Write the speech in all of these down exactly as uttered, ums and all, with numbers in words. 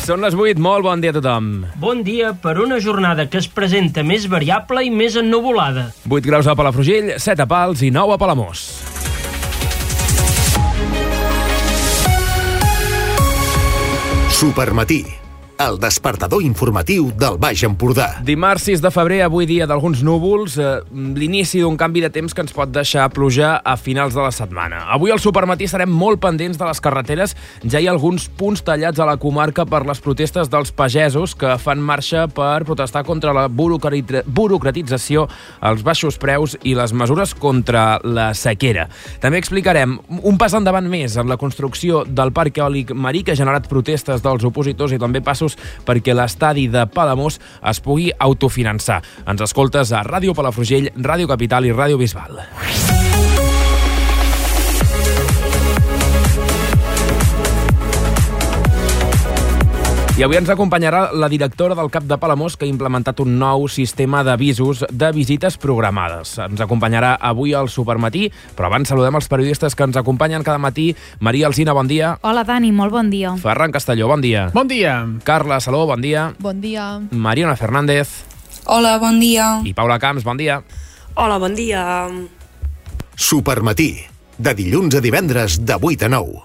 Són les vuit, molt bon dia a tothom. Bon dia per una jornada que es presenta més variable i més ennuvolada. vuit graus a Palafrugell, set a Pals i nou a Palamós. Supermatí, el despertador informatiu del Baix Empordà. Dimarts sis de febrer, avui dia d'alguns núvols, eh, l'inici d'un canvi de temps que ens pot deixar pluja a finals de la setmana. Avui al Supermatí serem molt pendents de les carreteres. Ja hi ha alguns punts tallats a la comarca per les protestes dels pagesos que fan marxa per protestar contra la burocrati- burocratització, els baixos preus i les mesures contra la sequera. També explicarem un pas endavant més en la construcció del parc eòlic marí que ha generat protestes dels opositors i també passos perquè l'estadi de Palamós es pugui autofinançar. Ens escoltes a Ràdio Palafrugell, Ràdio Capital i Ràdio Bisbal. I avui ens acompanyarà la directora del CAP de Palamós, que ha implementat un nou sistema d'avisos de visites programades. Ens acompanyarà avui al Supermatí, però abans saludem els periodistes que ens acompanyen cada matí. Maria Alsina, bon dia. Hola, Dani, molt bon dia. Ferran Castelló, bon dia. Bon dia. Carla Saló, bon dia. Bon dia. Mariona Fernández. Hola, bon dia. I Paula Camps, bon dia. Hola, bon dia. Supermatí, de dilluns a divendres de vuit a nou.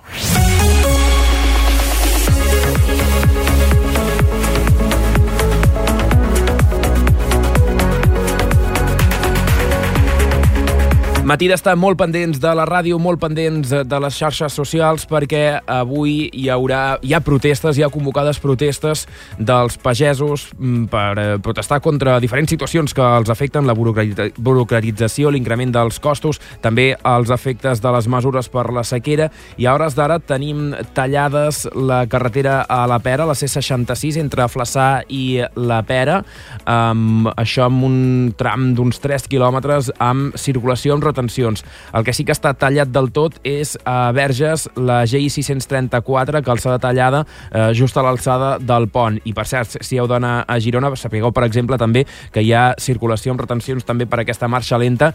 Matí d'estar molt pendents de la ràdio, molt pendents de les xarxes socials, perquè avui hi haurà hi ha protestes, hi ha convocades protestes dels pagesos per protestar contra diferents situacions que els afecten, la burocratització, l'increment dels costos, també els efectes de les mesures per la sequera, i a hores d'ara tenim tallades la carretera a la Pera, la C seixanta-sis, entre Flaçà i la Pera, amb, això amb un tram d'uns tres quilòmetres amb circulació amb retencions. El que sí que està tallat del tot és a Verges la G I sis-cents trenta-quatre, calçada tallada eh, just a l'alçada del pont. I per cert, si heu d'anar a Girona, sapigueu, per exemple, també que hi ha circulació amb retencions també per aquesta marxa lenta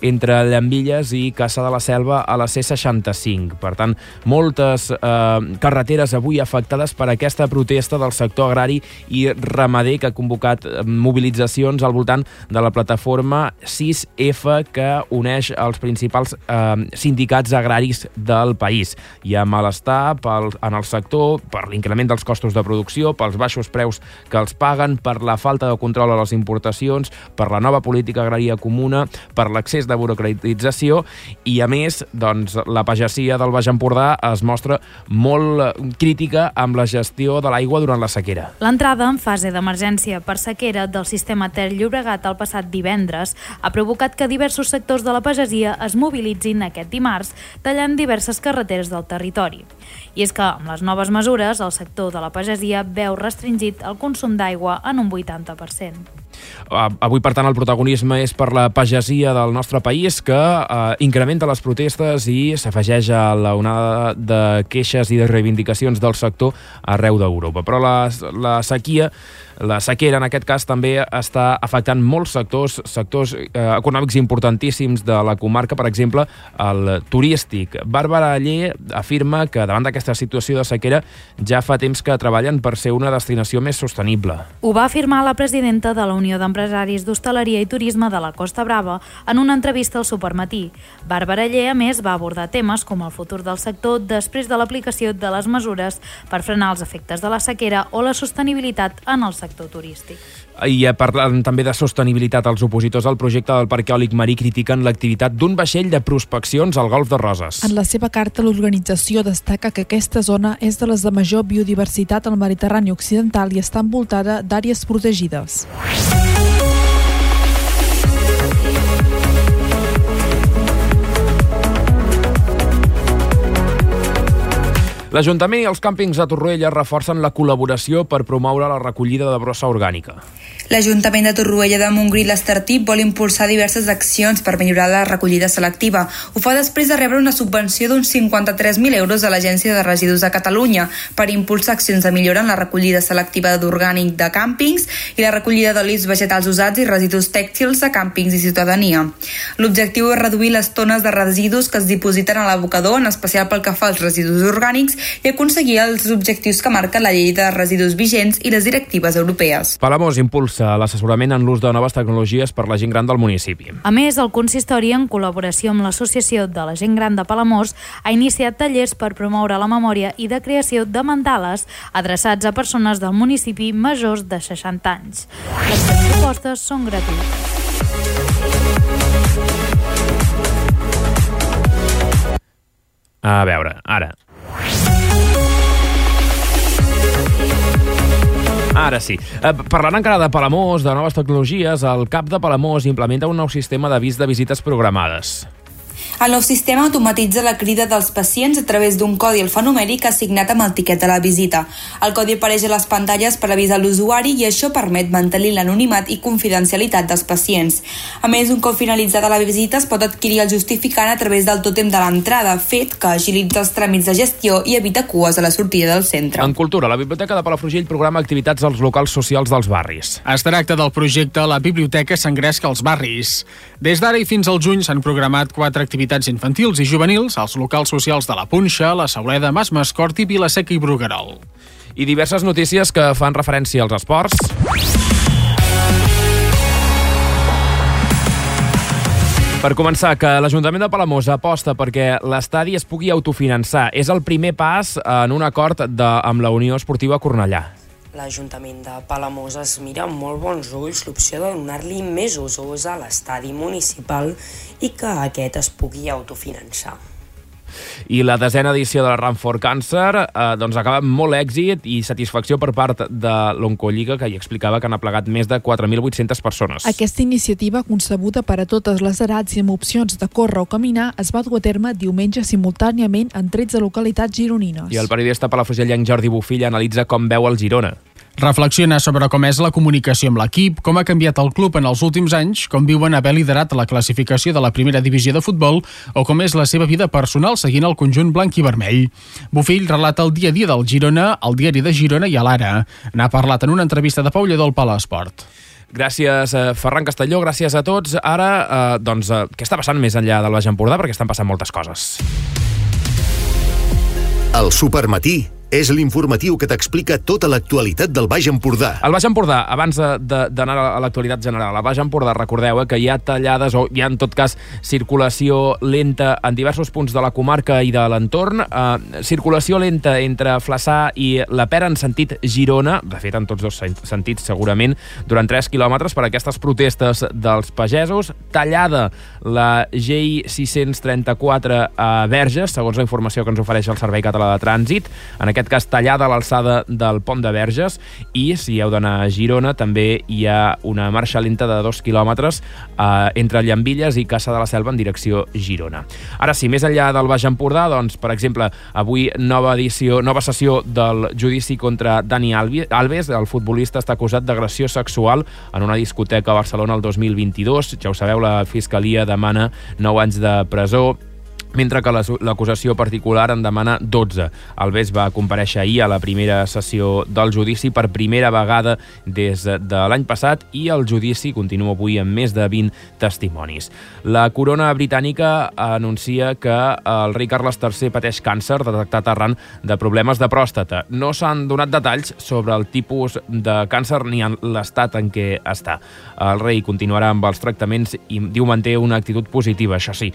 entre Llambilles i Cassà de la Selva a la C seixanta-cinc. Per tant, moltes eh, carreteres avui afectades per aquesta protesta del sector agrari i ramader que ha convocat mobilitzacions al voltant de la plataforma sis F que uneix els principals eh, sindicats agraris del país. Hi ha malestar pel, en el sector per l'increment dels costos de producció, pels baixos preus que els paguen, per la falta de control a les importacions, per la nova política agrària comuna, per l'accés de burocratització i, a més, doncs, la pagesia del Baix Empordà es mostra molt crítica amb la gestió de l'aigua durant la sequera. L'entrada en fase d'emergència per sequera del sistema Ter Llobregat el passat divendres ha provocat que diversos sectors de la pagesia es mobilitzin aquest dimarts, tallant diverses carreteres del territori. I és que, amb les noves mesures, el sector de la pagesia veu restringit el consum d'aigua en un vuitanta per cent. Avui, per tant, el protagonisme és per la pagesia del nostre país, que eh, incrementa les protestes i s'afegeix a la onada de queixes i de reivindicacions del sector arreu d'Europa. Però la, la sequia, la sequera, en aquest cas, també està afectant molts sectors, sectors eh, econòmics importantíssims de la comarca, per exemple, el turístic. Bàrbara Aller afirma que, davant d'aquesta situació de sequera, ja fa temps que treballen per ser una destinació més sostenible. Ho va afirmar la presidenta de la Unió d'Empresaris d'Hostaleria i Turisme de la Costa Brava en una entrevista al Supermatí. Bàrbara Aller, a més, va abordar temes com el futur del sector després de l'aplicació de les mesures per frenar els efectes de la sequera o la sostenibilitat en el sector turístic. I parlant també de sostenibilitat, els opositors al projecte del parc eòlic marí critiquen l'activitat d'un vaixell de prospeccions al Golf de Roses. En la seva carta, l'organització destaca que aquesta zona és de les de major biodiversitat al Mediterrani occidental i està envoltada d'àrees protegides. L'Ajuntament i els càmpings de Torroella reforcen la col·laboració per promoure la recollida de brossa orgànica. L'Ajuntament de Torroella de Montgrí i l'Estartit vol impulsar diverses accions per millorar la recollida selectiva. Ho fa després de rebre una subvenció d'uns cinquanta-tres mil euros de l'Agència de Residus de Catalunya per impulsar accions de millora en la recollida selectiva d'orgànic de càmpings i la recollida d'olis vegetals usats i residus tèxtils de càmpings i ciutadania. L'objectiu és reduir les tones de residus que es dipositen a l'abocador, en especial pel que fa als residus orgànics, i aconseguir els objectius que marca la llei de residus vigents i les directives europees. Palamós impulsa l'assessorament en l'ús de noves tecnologies per la gent gran del municipi. A més, el consistori, en col·laboració amb l'Associació de la Gent Gran de Palamós, ha iniciat tallers per promoure la memòria i de creació de mandales adreçats a persones del municipi majors de seixanta anys. Les propostes són gratuïtes. A veure, ara. Ara sí. Eh, parlant encara de Palamós, de noves tecnologies, el cap de Palamós implementa un nou sistema d'avís de visites programades. El nou sistema automatitza la crida dels pacients a través d'un codi alfanumèric assignat amb el tiquet de la visita. El codi apareix a les pantalles per avisar l'usuari i això permet mantenir l'anonimat i confidencialitat dels pacients. A més, un cop finalitzada la visita es pot adquirir el justificant a través del tòtem de l'entrada, fet que agilitza els tràmits de gestió i evita cues a la sortida del centre. En cultura, la Biblioteca de Palafrugell programa activitats als locals socials dels barris. Es tracta del projecte La Biblioteca s'engresca als barris. Des d'ara i fins al juny s'han programat quatre activitats infantils i juvenils als locals socials de la Punxa, la Sauleda, Mas Mascorti, Vila-seca i Bruguerol. I diverses notícies que fan referència als esports. Per començar, que l'Ajuntament de Palamós aposta perquè l'estadi es pugui autofinançar. És el primer pas en un acord de, amb la Unió Esportiva Cornellà. L'Ajuntament de Palamós es mira amb molt bons ulls l'opció de donar-li més usos a l'estadi municipal i que aquest es pugui autofinançar. I la desena edició de la Run for Cancer eh, doncs acaba amb molt èxit i satisfacció per part de l'Oncolliga, que hi explicava que han aplegat més de quatre mil vuit-centes persones. Aquesta iniciativa, concebuda per a totes les edats i amb opcions de córrer o caminar, es va dur a terme diumenge simultàniament en tretze localitats gironines. I el periodista palafrugellenc Jordi Bofill analitza com veu el Girona. Reflexiona sobre com és la comunicació amb l'equip, com ha canviat el club en els últims anys, com viuen haver liderat la classificació de la primera divisió de futbol o com és la seva vida personal seguint el conjunt blanc i vermell. Bofill relata el dia a dia del Girona, al diari de Girona i a l'Ara. N'ha parlat en una entrevista de Pau Lledó al Palasport. Gràcies, eh, Ferran Castelló, gràcies a tots. Ara, eh, doncs, eh, què està passant més enllà del Baix Empordà? Perquè estan passant moltes coses. El Supermatí és l'informatiu que t'explica tota l'actualitat del Baix Empordà. El Baix Empordà, abans d'anar a l'actualitat general, al Baix Empordà, recordeu eh, que hi ha tallades o hi ha, en tot cas, circulació lenta en diversos punts de la comarca i de l'entorn. Eh, circulació lenta entre Flaçà i la Pera en sentit Girona, de fet, en tots dos sentits, segurament, durant tres quilòmetres per aquestes protestes dels pagesos. Tallada la G I sis-cents trenta-quatre a Verges, segons la informació que ens ofereix el Servei Català de Trànsit. En aquest cas tallada a l'alçada del pont de Verges, i si heu d'anar a Girona també hi ha una marxa lenta de dos quilòmetres eh, entre Llambilles i Caça de la Selva en direcció Girona. Ara sí, més enllà del Baix Empordà, doncs, per exemple, avui nova edició, nova sessió del judici contra Dani Alves. El futbolista està acusat d'agressió sexual en una discoteca a Barcelona el dos mil vint-i-dos. Ja ho sabeu, la Fiscalia demana nou anys de presó, mentre que l'acusació particular en demana dotze. Alves va comparèixer ahir a la primera sessió del judici per primera vegada des de l'any passat i el judici continua avui amb més de vint testimonis. La corona britànica anuncia que el rei Carles tercer pateix càncer detectat arran de problemes de pròstata. No s'han donat detalls sobre el tipus de càncer ni en l'estat en què està. El rei continuarà amb els tractaments i diu manté una actitud positiva. Això sí,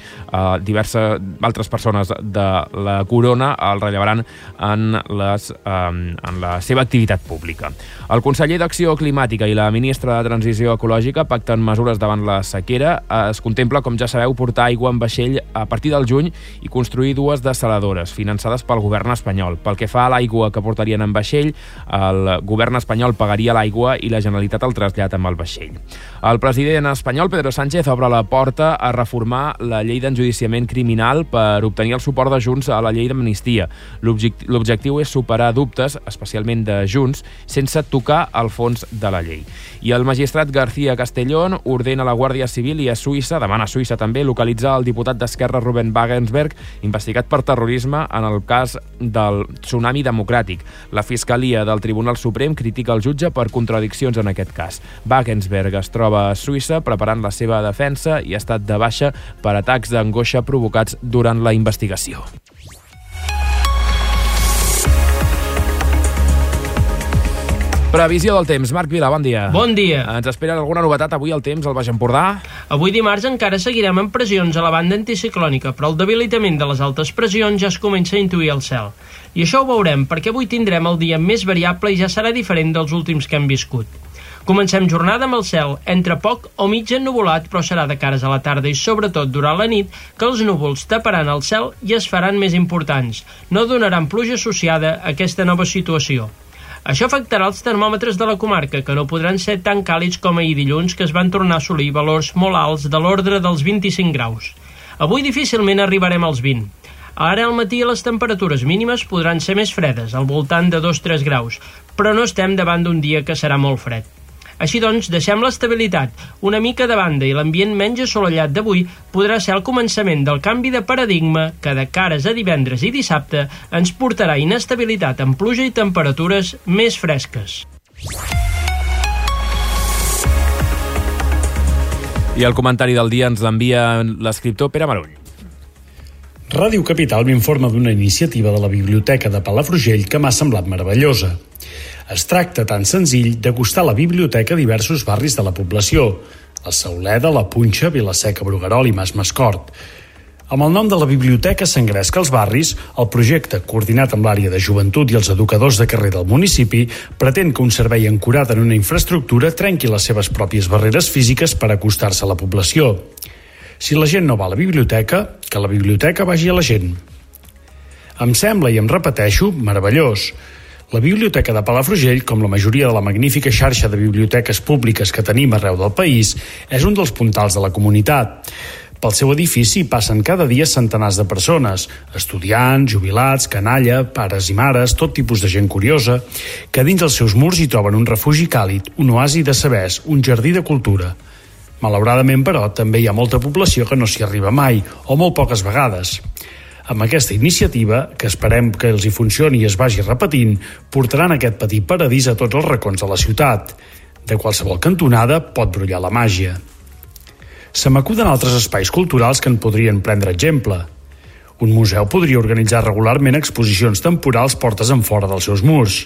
diverses altres persones de la corona el rellevaran en, les, en la seva activitat pública. El conseller d'Acció Climàtica i la ministra de Transició Ecològica pacten mesures davant la sequera. Es contempla, com ja sabeu, portar aigua en vaixell a partir del juny i construir dues dessaladores finançades pel govern espanyol. Pel que fa a l'aigua que portarien en vaixell, el govern espanyol pagaria l'aigua i la Generalitat el trasllat amb el vaixell. El president espanyol, Pedro Sánchez, obre la porta a reformar la llei d'enjudiciament criminal per obtenir el suport de Junts a la llei d'amnistia. L'objectiu és superar dubtes, especialment de Junts, sense tocar el fons de la llei. I el magistrat García Castellón ordena a la Guàrdia Civil i a Suïssa, demana a Suïssa també, localitzar el diputat d'Esquerra Ruben Wagensberg, investigat per terrorisme en el cas del tsunami democràtic. La Fiscalia del Tribunal Suprem critica el jutge per contradiccions en aquest cas. Wagensberg es troba a Suïssa preparant la seva defensa i ha estat de baixa per atacs d'angoixa provocats durant la investigació. Previsió del temps. Marc Vila, bon dia. Bon dia. Ens espera alguna novetat avui al temps al Baix Empordà? Avui dimarts encara seguirem amb pressions a la banda anticiclònica, però el debilitament de les altes pressions ja es comença a intuir al cel. I això ho veurem, perquè avui tindrem el dia més variable i ja serà diferent dels últims que hem viscut. Comencem jornada amb el cel entre poc o mig ennuvolat, però serà de cares a la tarda i sobretot durant la nit que els núvols taparan el cel i es faran més importants. No donaran pluja associada a aquesta nova situació. Això afectarà els termòmetres de la comarca, que no podran ser tan càlids com ahir dilluns, que es van tornar a assolir valors molt alts de l'ordre dels vint-i-cinc graus. Avui difícilment arribarem als vint. Ara al matí les temperatures mínimes podran ser més fredes, al voltant de dos a tres graus, però no estem davant d'un dia que serà molt fred. Així doncs, deixem l'estabilitat una mica de banda i l'ambient menys assolellat d'avui podrà ser el començament del canvi de paradigma que de cares a divendres i dissabte ens portarà inestabilitat amb pluja i temperatures més fresques. I el comentari del dia ens l'envia l'escriptor Pere Marull. Ràdio Capital m'informa d'una iniciativa de la Biblioteca de Palafrugell que m'ha semblat meravellosa. Es tracta tan senzill d'acostar la biblioteca a diversos barris de la població, la Sauleda, la Punxa, Vilaseca, Bruguerol i Mas Mascort. Amb el nom de la biblioteca s'engresca als barris, el projecte, coordinat amb l'àrea de joventut i els educadors de carrer del municipi, pretén que un servei ancorat en una infraestructura trenqui les seves pròpies barreres físiques per acostar-se a la població. Si la gent no va a la biblioteca, que la biblioteca vagi a la gent. Em sembla, i em repeteixo, meravellós. La Biblioteca de Palafrugell, com la majoria de la magnífica xarxa de biblioteques públiques que tenim arreu del país, és un dels puntals de la comunitat. Pel seu edifici passen cada dia centenars de persones, estudiants, jubilats, canalla, pares i mares, tot tipus de gent curiosa, que dins els seus murs hi troben un refugi càlid, un oasi de sabers, un jardí de cultura. Malauradament, però, també hi ha molta població que no s'hi arriba mai, o molt poques vegades. Amb aquesta iniciativa, que esperem que els hi funcioni i es vagi repetint, portaran aquest petit paradís a tots els racons de la ciutat. De qualsevol cantonada pot brollar la màgia. Se m'acuden altres espais culturals que en podrien prendre exemple. Un museu podria organitzar regularment exposicions temporals portes en fora dels seus murs.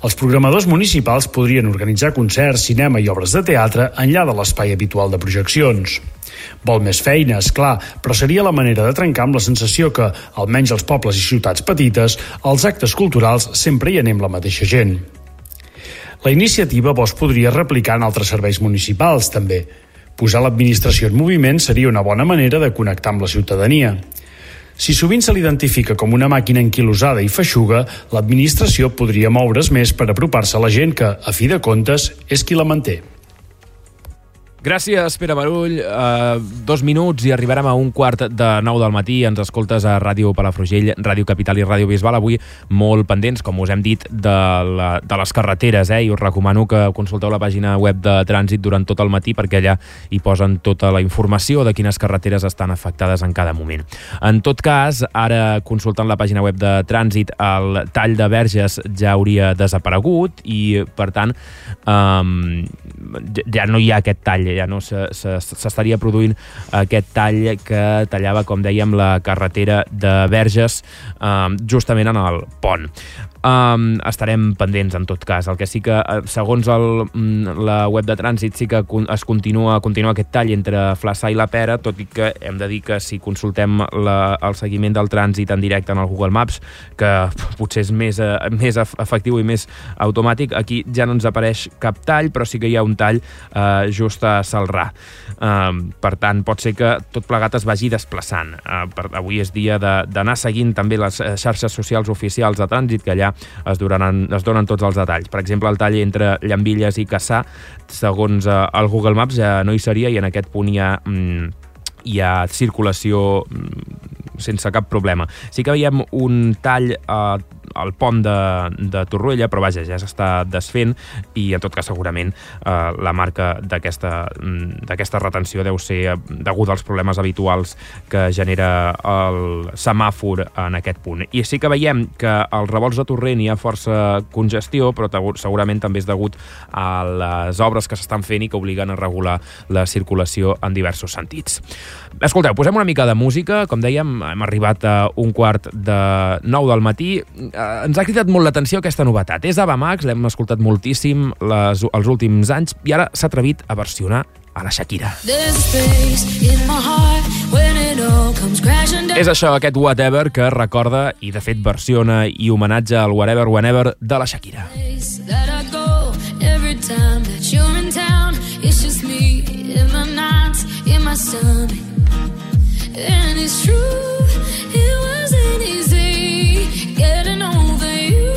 Els programadors municipals podrien organitzar concerts, cinema i obres de teatre enllà de l'espai habitual de projeccions. Vol més feina, és clar, però seria la manera de trencar amb la sensació que, almenys als pobles i ciutats petites, als actes culturals sempre hi anem la mateixa gent. La iniciativa vos podria replicar en altres serveis municipals, també. Posar l'administració en moviment seria una bona manera de connectar amb la ciutadania. Si sovint se l'identifica com una màquina enquilosada i feixuga, l'administració podria moure's més per apropar-se a la gent que, a fi de comptes, és qui la manté. Gràcies, Pere Marull. Uh, dos minuts i arribarem a un quart de nou del matí. Ens escoltes a Ràdio Palafrugell, Ràdio Capital i Ràdio Bisbal. Avui molt pendents, com us hem dit, de, la, de les carreteres, eh? I us recomano que consulteu la pàgina web de Trànsit durant tot el matí, perquè allà hi posen tota la informació de quines carreteres estan afectades en cada moment. En tot cas, ara consultant la pàgina web de Trànsit, el tall de Verges ja hauria desaparegut i, per tant, um, ja no hi ha aquest tall, ja no s'estaria produint aquest tall que tallava, com dèiem, la carretera de Verges eh, justament en el pont. Um, estarem pendents en tot cas. El que sí que, segons el, la web de Trànsit, sí que es continua, continua aquest tall entre Flaçà i la Pera, tot i que hem de dir que si consultem la, el seguiment del trànsit en directe en el Google Maps, que potser és més, més efectiu i més automàtic, aquí ja no ens apareix cap tall, però sí que hi ha un tall eh, just a Salrà. Um, per tant, pot ser que tot plegat es vagi desplaçant. Uh, per, avui és dia d'anar seguint també les xarxes socials oficials de Trànsit, que allà es donen, es donen tots els detalls. Per exemple, el tall entre Llambilles i Cassà, segons eh, el Google Maps, ja no hi seria i en aquest punt hi ha, mm, hi ha circulació mm, sense cap problema. Sí que veiem un tall eh, al pont de, de Torroella, però vaja, ja s'està desfent i en tot cas segurament eh, la marca d'aquesta d'aquesta retenció deu ser deguda als problemes habituals que genera el semàfor en aquest punt. I sí que veiem que als revolts de Torrent hi ha força congestió, però segurament també és degut a les obres que s'estan fent i que obliguen a regular la circulació en diversos sentits. Escolteu, posem una mica de música. Com dèiem, hem arribat a un quart de nou del matí. ens ha cridat molt l'atenció aquesta novetat. És Ava Max, l'hem escoltat moltíssim les, els últims anys, i ara s'ha atrevit a versionar a la Shakira. És això, aquest Whatever, que recorda i de fet versiona i homenatge al Whatever, Whenever de la Shakira. And it's true, it wasn't easy getting over you,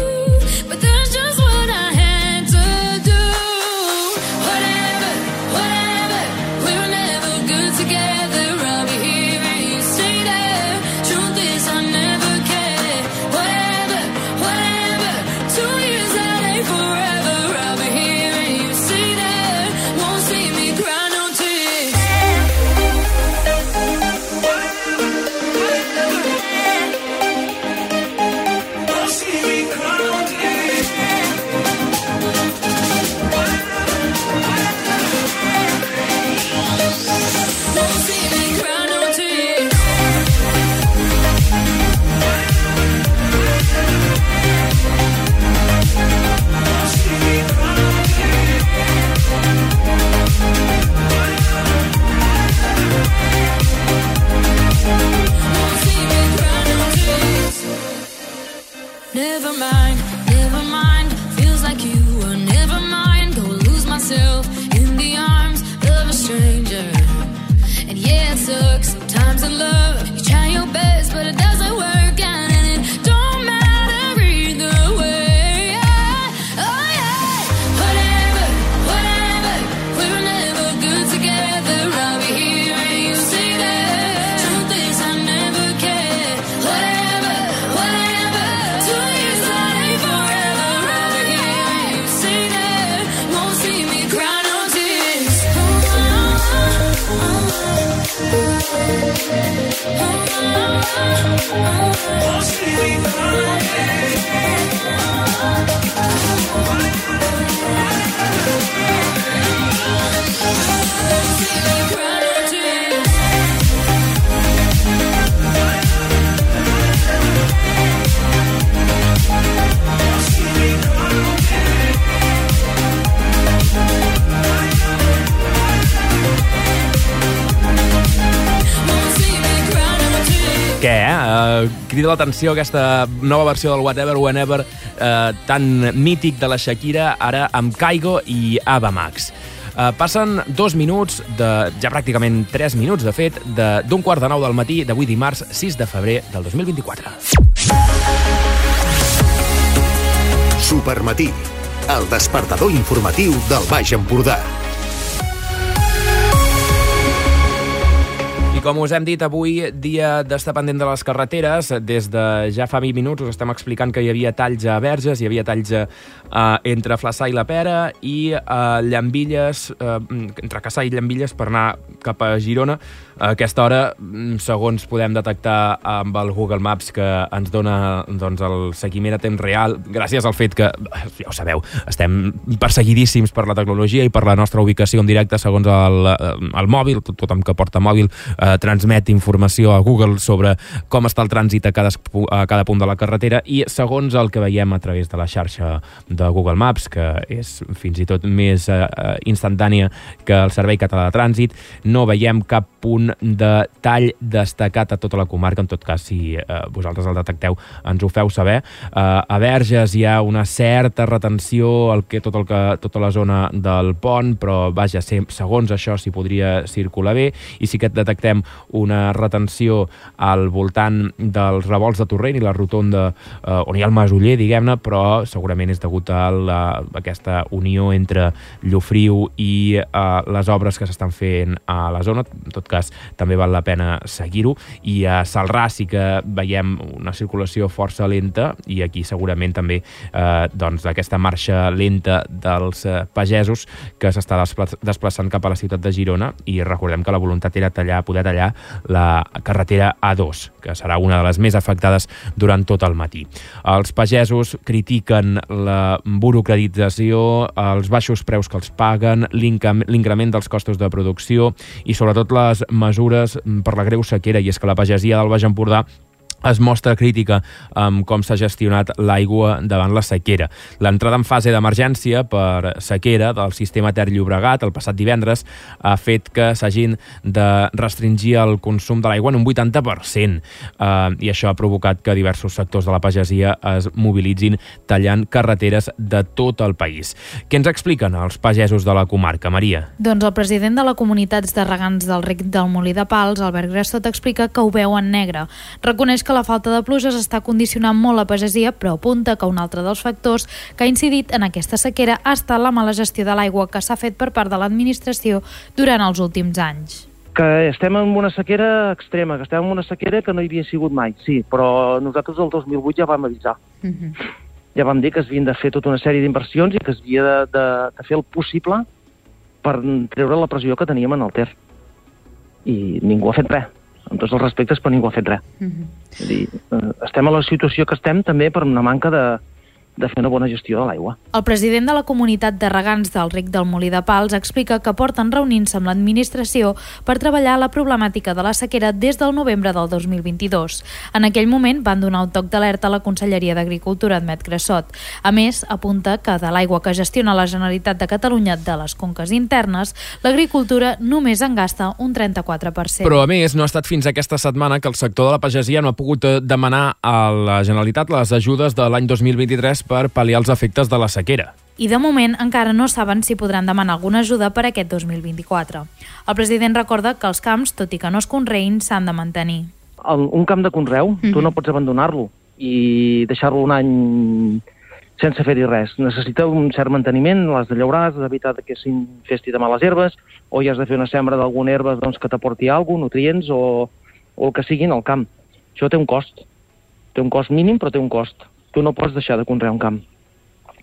but that's just what I had to do. Whatever, whatever, we were never good together. I'll be here and you stay there. Truth is I never cared. Whatever, whatever, two years that ain't forever. I'll be here and you stay there. Won't see me cry no tears. Never mind, never mind, feels like you were never mind. Go lose myself in the arms of a stranger. And yeah, it sucks sometimes in love. You try your best, but it doesn't work out, and it don't matter either way. Yeah. Oh yeah, whatever, whatever, we were never good together. I'll be here and you stay there. Truth is I never cared. Whatever, whatever, two years that ain't forever. I'll be here and you stay there. Won't see me cry no tears. Oh, oh, oh, won't see me cry no Què, eh? Uh, crida l'atenció aquesta nova versió del Whatever, Whenever, uh, tan mític de la Shakira, ara amb Kygo i Ava Max. Uh, passen dos minuts, de, ja pràcticament tres minuts, de fet, d'un quart de nou del matí d'avui dimarts sis de febrer del dos mil vint-i-quatre. Supermatí, el despertador informatiu del Baix Empordà. Com us hem dit, avui, dia d'estar pendent de les carreteres. Des de ja fa vint minuts us estem explicant que hi havia talls a Verges, hi havia talls uh, entre Flaçà i la Pera i uh, Llambilles, uh, entre Cassà i Llambilles per anar cap a Girona. A aquesta hora, segons podem detectar amb el Google Maps, que ens dona doncs, el seguiment a temps real, gràcies al fet que, ja ho sabeu, estem perseguidíssims per la tecnologia i per la nostra ubicació en directe segons el, el mòbil, tot, tothom que porta mòbil eh, transmet informació a Google sobre com està el trànsit a cada, a cada punt de la carretera, i segons el que veiem a través de la xarxa de Google Maps, que és fins i tot més eh, instantània que el Servei Català de Trànsit, no veiem cap punt de tall destacat a tota la comarca. En tot cas, si eh, vosaltres el detecteu, ens ho feu saber. Eh, a Verges hi ha una certa retenció al que tot el que tota la zona del pont, però vaja, segons això s'hi podria circular bé, i sí que detectem una retenció al voltant dels revolts de Torrent i la rotonda eh, on hi ha el Masoller, diguem-ne, però segurament és degut a, la, a aquesta unió entre Llofriu i eh, les obres que s'estan fent a la zona. En tot cas, també val la pena seguir-ho, i a Salrà sí que veiem una circulació força lenta, i aquí segurament també eh, doncs, aquesta marxa lenta dels eh, pagesos que s'està desplaçant cap a la ciutat de Girona, i recordem que la voluntat era tallar, poder tallar la carretera A dos, que serà una de les més afectades durant tot el matí. Els pagesos critiquen la burocratització, els baixos preus que els paguen, l'increment dels costos de producció i sobretot les mesures per la greu sequera, i és que la pagesia del Baix Empordà es mostra crítica amb com s'ha gestionat l'aigua davant la sequera. L'entrada en fase d'emergència per sequera del sistema Ter-Llobregat el passat divendres ha fet que s'hagin de restringir el consum de l'aigua en un vuitanta per cent eh, i això ha provocat que diversos sectors de la pagesia es mobilitzin tallant carreteres de tot el país. Què ens expliquen els pagesos de la comarca, Maria? Doncs el president de la Comunitat de Regants del Rec del Molí de Pals, Albert Grassot, explica que ho veu en negre. Reconeix que la falta de pluges està condicionant molt la pagesia, però apunta que un altre dels factors que ha incidit en aquesta sequera ha estat la mala gestió de l'aigua que s'ha fet per part de l'administració durant els últims anys. Que estem en una sequera extrema, que estem en una sequera que no hi havia sigut mai, sí, però nosaltres el dos mil vuit ja vam avisar. Uh-huh. Ja vam dir que es havien de fer tota una sèrie d'inversions i que es havia de, de, de fer el possible per treure la pressió que teníem en el Ter. I ningú ha fet res. Amb tots els respectes, però ningú ha fet res. Uh-huh. És a dir, estem a la situació que estem també per una manca de, de fer una bona gestió de l'aigua. El president de la Comunitat de Regants del Rec del Molí de Pals explica que porten reunint-se amb l'administració per treballar la problemàtica de la sequera des del novembre del dos mil vint-i-dos. En aquell moment van donar un toc d'alerta a la Conselleria d'Agricultura, admet Grassot. A més, apunta que de l'aigua que gestiona la Generalitat de Catalunya de les conques internes, l'agricultura només en gasta un trenta-quatre per cent. Però, a més, no ha estat fins aquesta setmana que el sector de la pagesia no ha pogut demanar a la Generalitat les ajudes de l'any dos mil vint-i-tres per pal·liar els efectes de la sequera. I de moment encara no saben si podran demanar alguna ajuda per aquest dos mil vint-i-quatre. El president recorda que els camps, tot i que no es conreïn, s'han de mantenir. El, un camp de conreu, mm-hmm. tu no pots abandonar-lo i deixar-lo un any sense fer-hi res. Necessita un cert manteniment, l'has de llaurar, has d'evitar que s'infesti de males herbes, o hi has de fer una sembra d'alguna herba doncs, que t'aporti alguna cosa, nutrients o, o el que sigui en el camp. Això té un cost. Té un cost mínim, però té un cost. Tu no pots deixar de conrear un camp.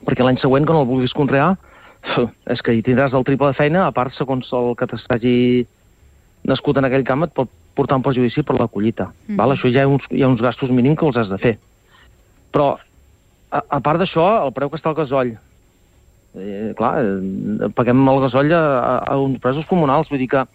Perquè l'any següent, quan el vulguis conrear, és que hi tindràs el triple de feina, a part, segons el que t'hagi nascut en aquell camp, et pot portar un perjudici per la collita. Mm. Val? Això hi ha, uns, hi ha uns gastos mínims que els has de fer. Però, a, a part d'això, el preu que està el gasoll. Eh, clar, eh, paguem el gasoll a, a, a uns presos comunals, vull dir que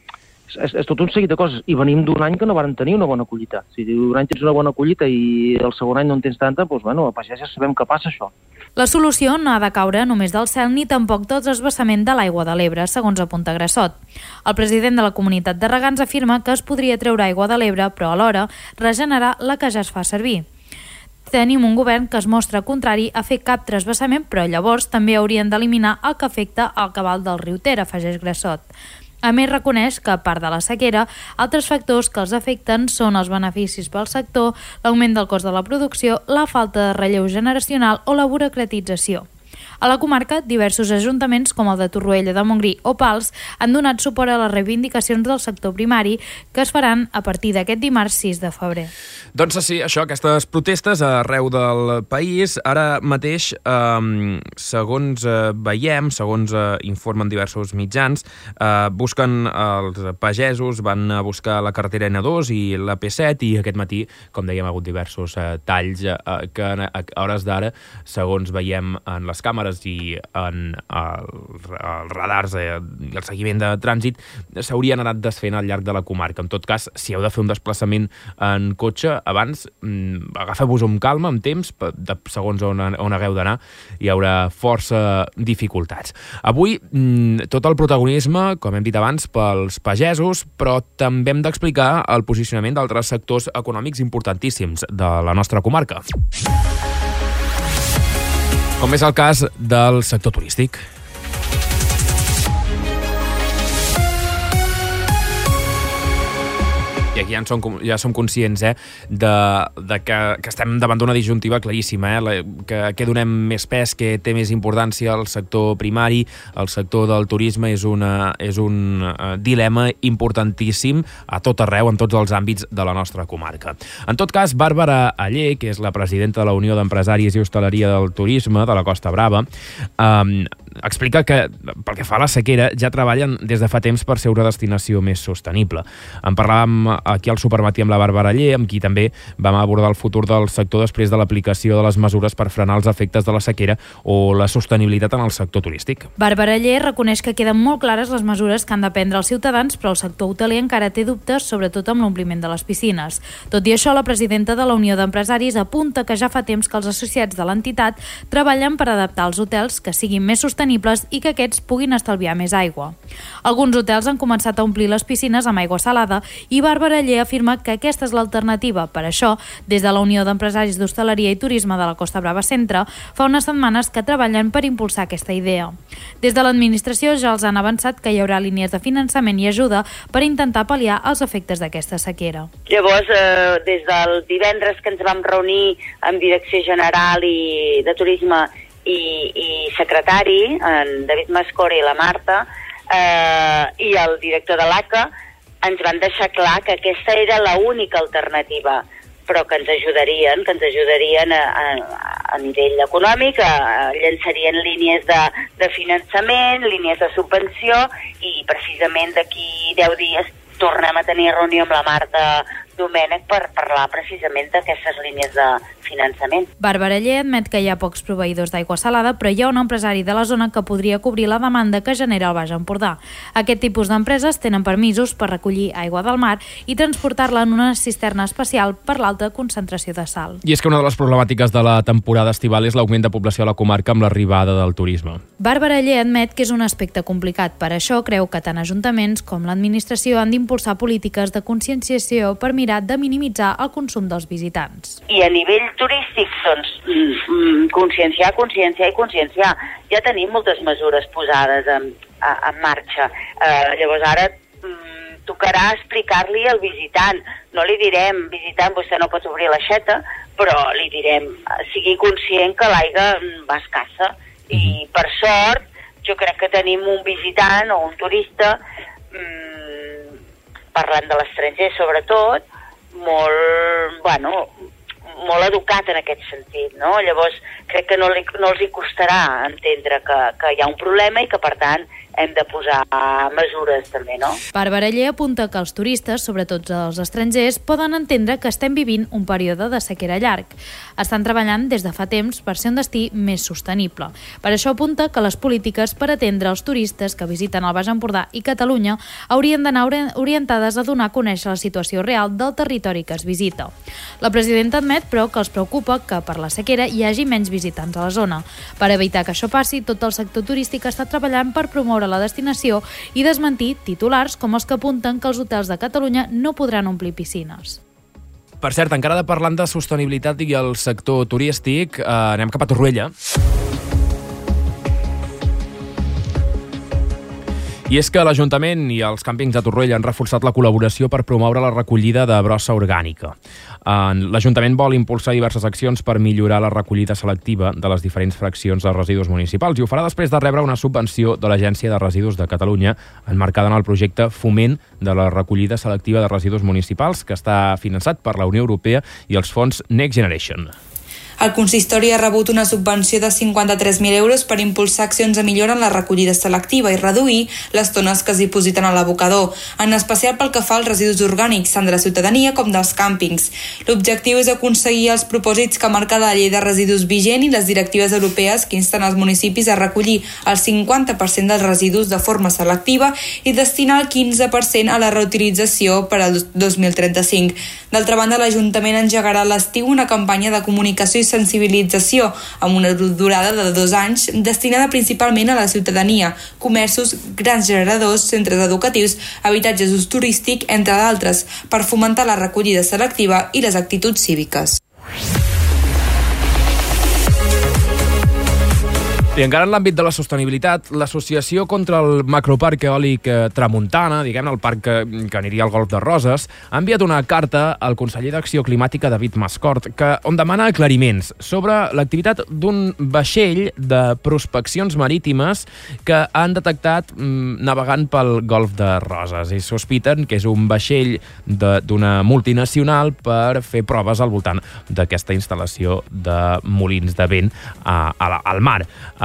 és, és tot un seguit de coses. I venim d'un any que no varen tenir una bona collita. Si un any tens una bona collita i el segon any no en tens tanta, doncs, bueno, a pagès ja sabem què passa, això. La solució no ha de caure només del cel ni tampoc del transvasament de l'aigua de l'Ebre, segons apunta Grassot. El president de la Comunitat de Regants afirma que es podria treure aigua de l'Ebre, però alhora regenerar la que ja es fa servir. Tenim un govern que es mostra contrari a fer cap transvasament, però llavors també haurien d'eliminar el que afecta al cabal del riu Ter, afegeix Grassot. A més, reconeix que, a part de la sequera, altres factors que els afecten són els beneficis pel sector, l'augment del cost de la producció, la falta de relleu generacional o la burocratització. A la comarca, diversos ajuntaments, com el de Torroella de Montgrí o Pals, han donat suport a les reivindicacions del sector primari que es faran a partir d'aquest dimarts sis de febrer. Doncs sí, això, aquestes protestes arreu del país, ara mateix, eh, segons eh, veiem, segons eh, informen diversos mitjans, eh, busquen els pagesos, van a buscar la carretera ena dos i la pe set i aquest matí, com dèiem, ha hagut diversos eh, talls eh, que a, a hores d'ara, segons veiem en les càmeres i en els radars eh, i el seguiment de trànsit, s'haurien anat desfent al llarg de la comarca. En tot cas, si heu de fer un desplaçament en cotxe, abans mm, agafeu-vos amb calma, amb temps, de, segons on, on hagueu d'anar, hi haurà força dificultats. Avui, mm, tot el protagonisme, com hem dit abans, pels pagesos, però també hem d'explicar el posicionament d'altres sectors econòmics importantíssims de la nostra comarca. Com és el cas del sector turístic. I aquí ja, som, ja som conscients eh, de, de que, que estem davant d'una disjuntiva claríssima, eh, la, que, que donem més pes, que té més importància al sector primari, el sector del turisme és, una, és un uh, dilema importantíssim a tot arreu, en tots els àmbits de la nostra comarca. En tot cas, Bàrbara Aller, que és la presidenta de la Unió d'Empresaris i Hostaleria del Turisme de la Costa Brava, um, explica que, pel que fa a la sequera, ja treballen des de fa temps per ser una destinació més sostenible. En parlàvem aquí al Supermatí amb la Bàrbara Aller, amb qui també vam abordar el futur del sector després de l'aplicació de les mesures per frenar els efectes de la sequera o la sostenibilitat en el sector turístic. Bàrbara Aller reconeix que queden molt clares les mesures que han de prendre els ciutadans, però el sector hoteler encara té dubtes, sobretot amb l'ompliment de les piscines. Tot i això, la presidenta de la Unió d'Empresaris apunta que ja fa temps que els associats de l'entitat treballen per adaptar els hotels que siguin més sostenibles i que aquests puguin estalviar més aigua. Alguns hotels han començat a omplir les piscines amb aigua salada i Bàrbara Aller afirma que aquesta és l'alternativa. Per això, des de la Unió d'Empresaris d'Hostaleria i Turisme de la Costa Brava Centre, fa unes setmanes que treballen per impulsar aquesta idea. Des de l'administració ja els han avançat que hi haurà línies de finançament i ajuda per intentar pal·liar els efectes d'aquesta sequera. Llavors, eh, des del divendres que ens vam reunir amb Direcció General i de Turisme i, i secretari, en David Mascora i la Marta, eh, i el director de l'A C A, ens van deixar clar que aquesta era l'única alternativa, però que ens ajudarien, que ens ajudarien a, a, a nivell econòmic, a, a llançarien línies de, de finançament, línies de subvenció, i precisament d'aquí deu dies tornem a tenir reunió amb la Marta Domènech per parlar precisament d'aquestes línies de finançament. Bàrbara Aller admet que hi ha pocs proveïdors d'aigua salada, però hi ha un empresari de la zona que podria cobrir la demanda que genera el Baix Empordà. Aquest tipus d'empreses tenen permisos per recollir aigua del mar i transportar-la en una cisterna especial per l'alta concentració de sal. I és que una de les problemàtiques de la temporada estival és l'augment de població a la comarca amb l'arribada del turisme. Bàrbara Aller admet que és un aspecte complicat. Per això creu que tant ajuntaments com l'administració han d'impulsar polítiques de conscienciació per mirar de minimitzar el consum dels visitants. I a nivell turístic, doncs, conscienciar, conscienciar i conscienciar. Ja tenim moltes mesures posades en, en marxa. Eh, llavors ara mm, tocarà explicar-li al visitant. No li direm, visitant, vostè no pot obrir l'aixeta, però li direm, sigui conscient que l'aigua va escassa. I per sort, jo crec que tenim un visitant o un turista, mm, parlant de l'estranger sobretot, molt, bueno, molt educat en aquest sentit, no? Llavors, crec que no, li, no els hi costarà entendre que, que hi ha un problema i que, per tant, hem de posar mesures també, no? Bàrbara Aller apunta que els turistes, sobretot els estrangers, poden entendre que estem vivint un període de sequera llarg. Estan treballant des de fa temps per ser un destí més sostenible. Per això apunta que les polítiques per atendre els turistes que visiten el Baix Empordà i Catalunya haurien d'anar orientades a donar a conèixer la situació real del territori que es visita. La presidenta admet, però, que els preocupa que per la sequera hi hagi menys visitants a la zona. Per evitar que això passi, tot el sector turístic està treballant per promoure la destinació i desmentir titulars com els que apunten que els hotels de Catalunya no podran omplir piscines. Per cert, encara de parlant de sostenibilitat i el sector turístic, eh, anem cap a Torroella. I és que l'Ajuntament i els càmpings de Torroella han reforçat la col·laboració per promoure la recollida de brossa orgànica. L'Ajuntament vol impulsar diverses accions per millorar la recollida selectiva de les diferents fraccions de residus municipals i ho farà després de rebre una subvenció de l'Agència de Residus de Catalunya enmarcada en el projecte Foment de la recollida selectiva de residus municipals que està finançat per la Unió Europea i els fons Next Generation. El consistori ha rebut una subvenció de cinquanta-tres mil euros per impulsar accions de millora en la recollida selectiva i reduir les tones que es dipositen a l'abocador, en especial pel que fa als residus orgànics, tant de la ciutadania com dels càmpings. L'objectiu és aconseguir els propòsits que marca la llei de residus vigent i les directives europees que insten els municipis a recollir el cinquanta per cent dels residus de forma selectiva i destinar el quinze per cent a la reutilització per al dos mil trenta-cinc. D'altra banda, l'Ajuntament engegarà a l'estiu una campanya de comunicació i sensibilització amb una durada de dos anys destinada principalment a la ciutadania, comerços, grans generadors, centres educatius, habitatges d'ús turístic, entre d'altres, per fomentar la recollida selectiva i les actituds cíviques. I encara en l'àmbit de la sostenibilitat, l'Associació contra el Macroparc Eòlic Tramuntana, diguem el parc que, que aniria al Golf de Roses, ha enviat una carta al conseller d'Acció Climàtica, David Mascort, que, on demana aclariments sobre l'activitat d'un vaixell de prospeccions marítimes que han detectat mm, navegant pel Golf de Roses i sospiten que és un vaixell d'una multinacional per fer proves al voltant d'aquesta instal·lació de molins de vent a, a la, al mar.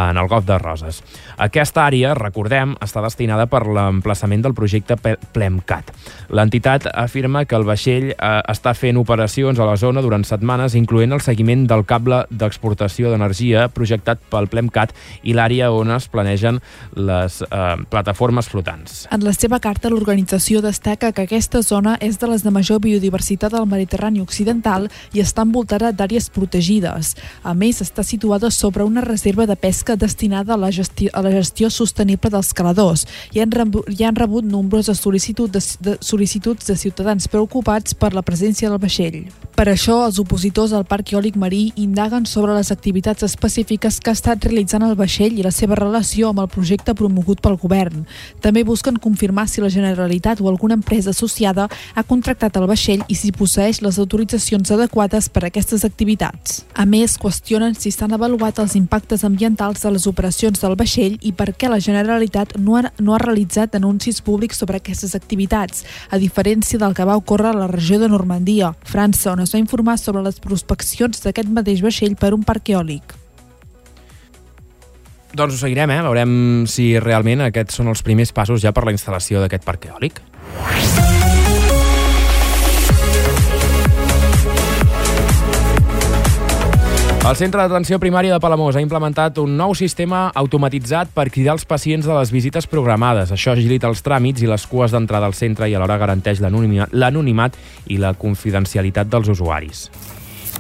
en el Golf de Roses. Aquesta àrea, recordem, està destinada per l'emplaçament del projecte PLEMCAT. L'entitat afirma que el vaixell eh, està fent operacions a la zona durant setmanes, incloent el seguiment del cable d'exportació d'energia projectat pel PLEMCAT i l'àrea on es planegen les eh, plataformes flotants. En la seva carta, l'organització destaca que aquesta zona és de les de major biodiversitat del Mediterrani occidental i està envoltada d'àrees protegides. A més, està situada sobre una reserva de pesca destinada a la gestió, a la gestió sostenible dels caladors i han, rebut, i han rebut nombroses sol·licituds de, de, sol·licituds de ciutadans preocupats per la presència del vaixell. Per això, els opositors al Parc Eòlic Marí indaguen sobre les activitats específiques que ha estat realitzant el vaixell i la seva relació amb el projecte promogut pel govern. També busquen confirmar si la Generalitat o alguna empresa associada ha contractat el vaixell i si posseeix les autoritzacions adequades per a aquestes activitats. A més, qüestionen si s'han avaluat els impactes ambientals de les operacions del vaixell i per què la Generalitat no ha, no ha realitzat anuncis públics sobre aquestes activitats, a diferència del que va ocórrer a la regió de Normandia, França, on es va informar sobre les prospeccions d'aquest mateix vaixell per un parc eòlic. Doncs ho seguirem, eh? Veurem si realment aquests són els primers passos ja per la instal·lació d'aquest parc eòlic. El Centre d'Atenció Primària de Palamós ha implementat un nou sistema automatitzat per cridar els pacients de les visites programades. Això agilita els tràmits i les cues d'entrada al centre i alhora garanteix l'anonimat i la confidencialitat dels usuaris.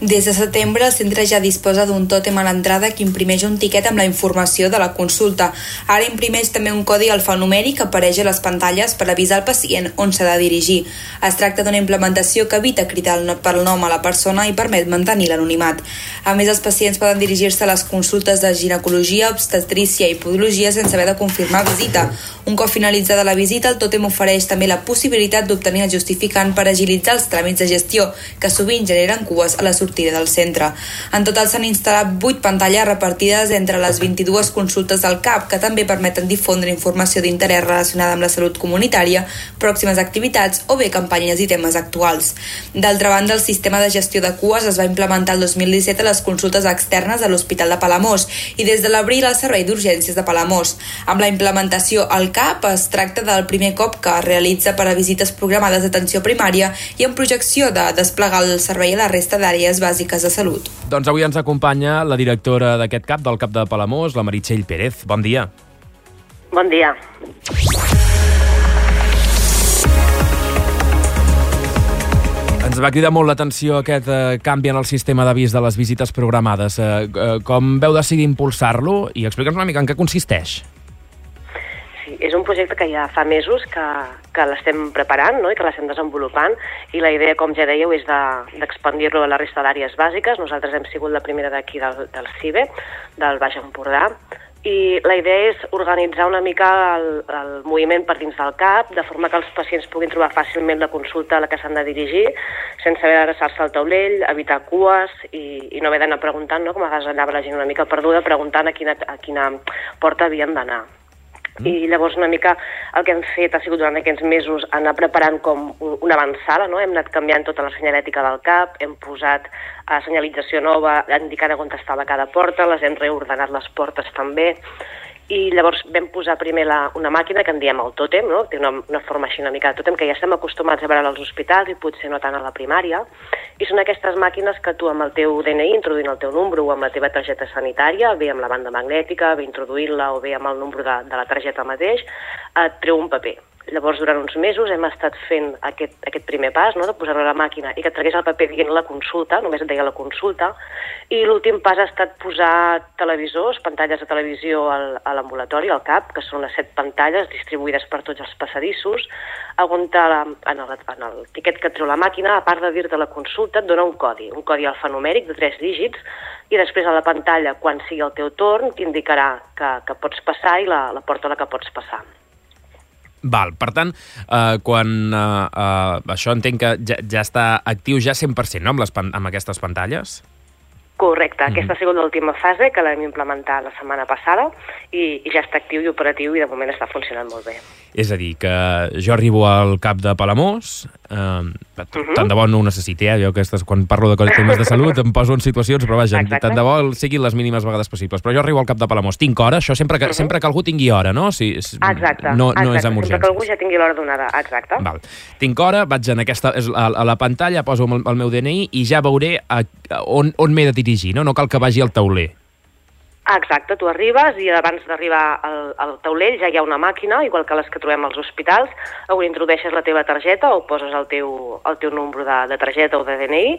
Des de setembre, el centre ja disposa d'un tòtem a l'entrada que imprimeix un tiquet amb la informació de la consulta. Ara imprimeix també un codi alfanumèric que apareix a les pantalles per avisar el pacient on s'ha de dirigir. Es tracta d'una implementació que evita cridar pel nom a la persona i permet mantenir l'anonimat. A més, els pacients poden dirigir-se a les consultes de ginecologia, obstetrícia i podologia sense haver de confirmar visita. Un cop finalitzada la visita, el tòtem ofereix també la possibilitat d'obtenir el justificant per agilitzar els tràmits de gestió, que sovint generen cues a la sortida del centre. En total s'han instal·lat vuit pantalles repartides entre les vint-i-dues consultes del C A P, que també permeten difondre informació d'interès relacionada amb la salut comunitària, pròximes activitats o bé campanyes i temes actuals. D'altra banda, el sistema de gestió de cues es va implementar el dos mil disset a les consultes externes de l'Hospital de Palamós i des de l'abril al Servei d'Urgències de Palamós. Amb la implementació al C A P es tracta del primer cop que es realitza per a visites programades d'atenció primària i en projecció de desplegar el servei a la resta d'àrees bàsiques de salut. Doncs avui ens acompanya la directora d'aquest C A P, del C A P de Palamós, la Meritxell Pérez. Bon dia. Bon dia. Ens va cridar molt l'atenció aquest eh, canvi en el sistema d'avís de les visites programades. Eh, eh, com veu decidir impulsar-lo? I explica'ns una mica en què consisteix. Sí, és un projecte que ja fa mesos que, que l'estem preparant, no?, i que l'estem desenvolupant, i la idea, com ja dèieu, és d'expandir-lo de, a la resta d'àrees bàsiques. Nosaltres hem sigut la primera d'aquí del, del C I B E, del Baix Empordà, i la idea és organitzar una mica el, el moviment per dins del C A P, de forma que els pacients puguin trobar fàcilment la consulta a la que s'han de dirigir, sense haver d'adreçar-se al taulell, evitar cues i, i no haver d'anar preguntant, no?, com a vegades anava la gent una mica perduda, preguntant a quina, a quina porta havien d'anar. I llavors una mica el que hem fet ha sigut durant aquests mesos anar preparant com una avançada, no? Hem anat canviant tota la senyalètica del C A P, hem posat uh, senyalització nova indicant on estava cada porta, les hem reordenat les portes també, i llavors vam posar primer la, una màquina que en diem el tòtem, no?, té una, una forma així una mica de tòtem, que ja estem acostumats a veure als hospitals i potser no tant a la primària, i són aquestes màquines que tu amb el teu D N I, introduint el teu número o amb la teva targeta sanitària, bé amb la banda magnètica, bé introduint-la o bé amb el número de, de la targeta mateix, et treu un paper. Llavors, durant uns mesos hem estat fent aquest, aquest primer pas, no?, de posar-lo a la màquina i que et tragués el paper dient la consulta, només et deia la consulta, i l'últim pas ha estat posar televisors, pantalles de televisió al, a l'ambulatori, al C A P, que són unes set pantalles distribuïdes per tots els passadissos, on la, en, el, en el tiquet que et treu la màquina, a part de dir-te la consulta, et dona un codi, un codi alfanumèric de tres dígits, i després a la pantalla, quan sigui el teu torn, t'indicarà que, que pots passar i la, la porta a la que pots passar. Val, per tant, eh, quan eh, eh, això entenc que ja, ja està actiu ja cent per cent, no?, amb, les, amb aquestes pantalles? Correcte, mm-hmm. Aquesta ha sigut l'última fase que l'hem implementat la setmana passada i, i ja està actiu i operatiu i de moment està funcionant molt bé. És a dir, que jo arribo al cap de Palamós, eh, mm-hmm. tant de bo no ho necessiti, eh? Jo aquestes, quan parlo de temes de salut em poso en situacions, però vaja, Exacte. tant de bo siguin les mínimes vegades possibles. Però jo arribo al cap de Palamós, tinc hora, això sempre que, mm-hmm. sempre que algú tingui hora, no? Si, si, exacte, no, no exacte. és amb urgències. Sempre que algú ja tingui l'hora donada, exacte. Val. Tinc hora, vaig en aquesta, a, a la pantalla, poso el, el meu D N I i ja veuré a, a on, on m'he de dirigir, no? No cal que vagi al tauler. Exacte, tu arribes i abans d'arribar al, al taulell ja hi ha una màquina, igual que les que trobem als hospitals, on introdueixes la teva targeta o poses el teu, el teu número de, de targeta o de D N I,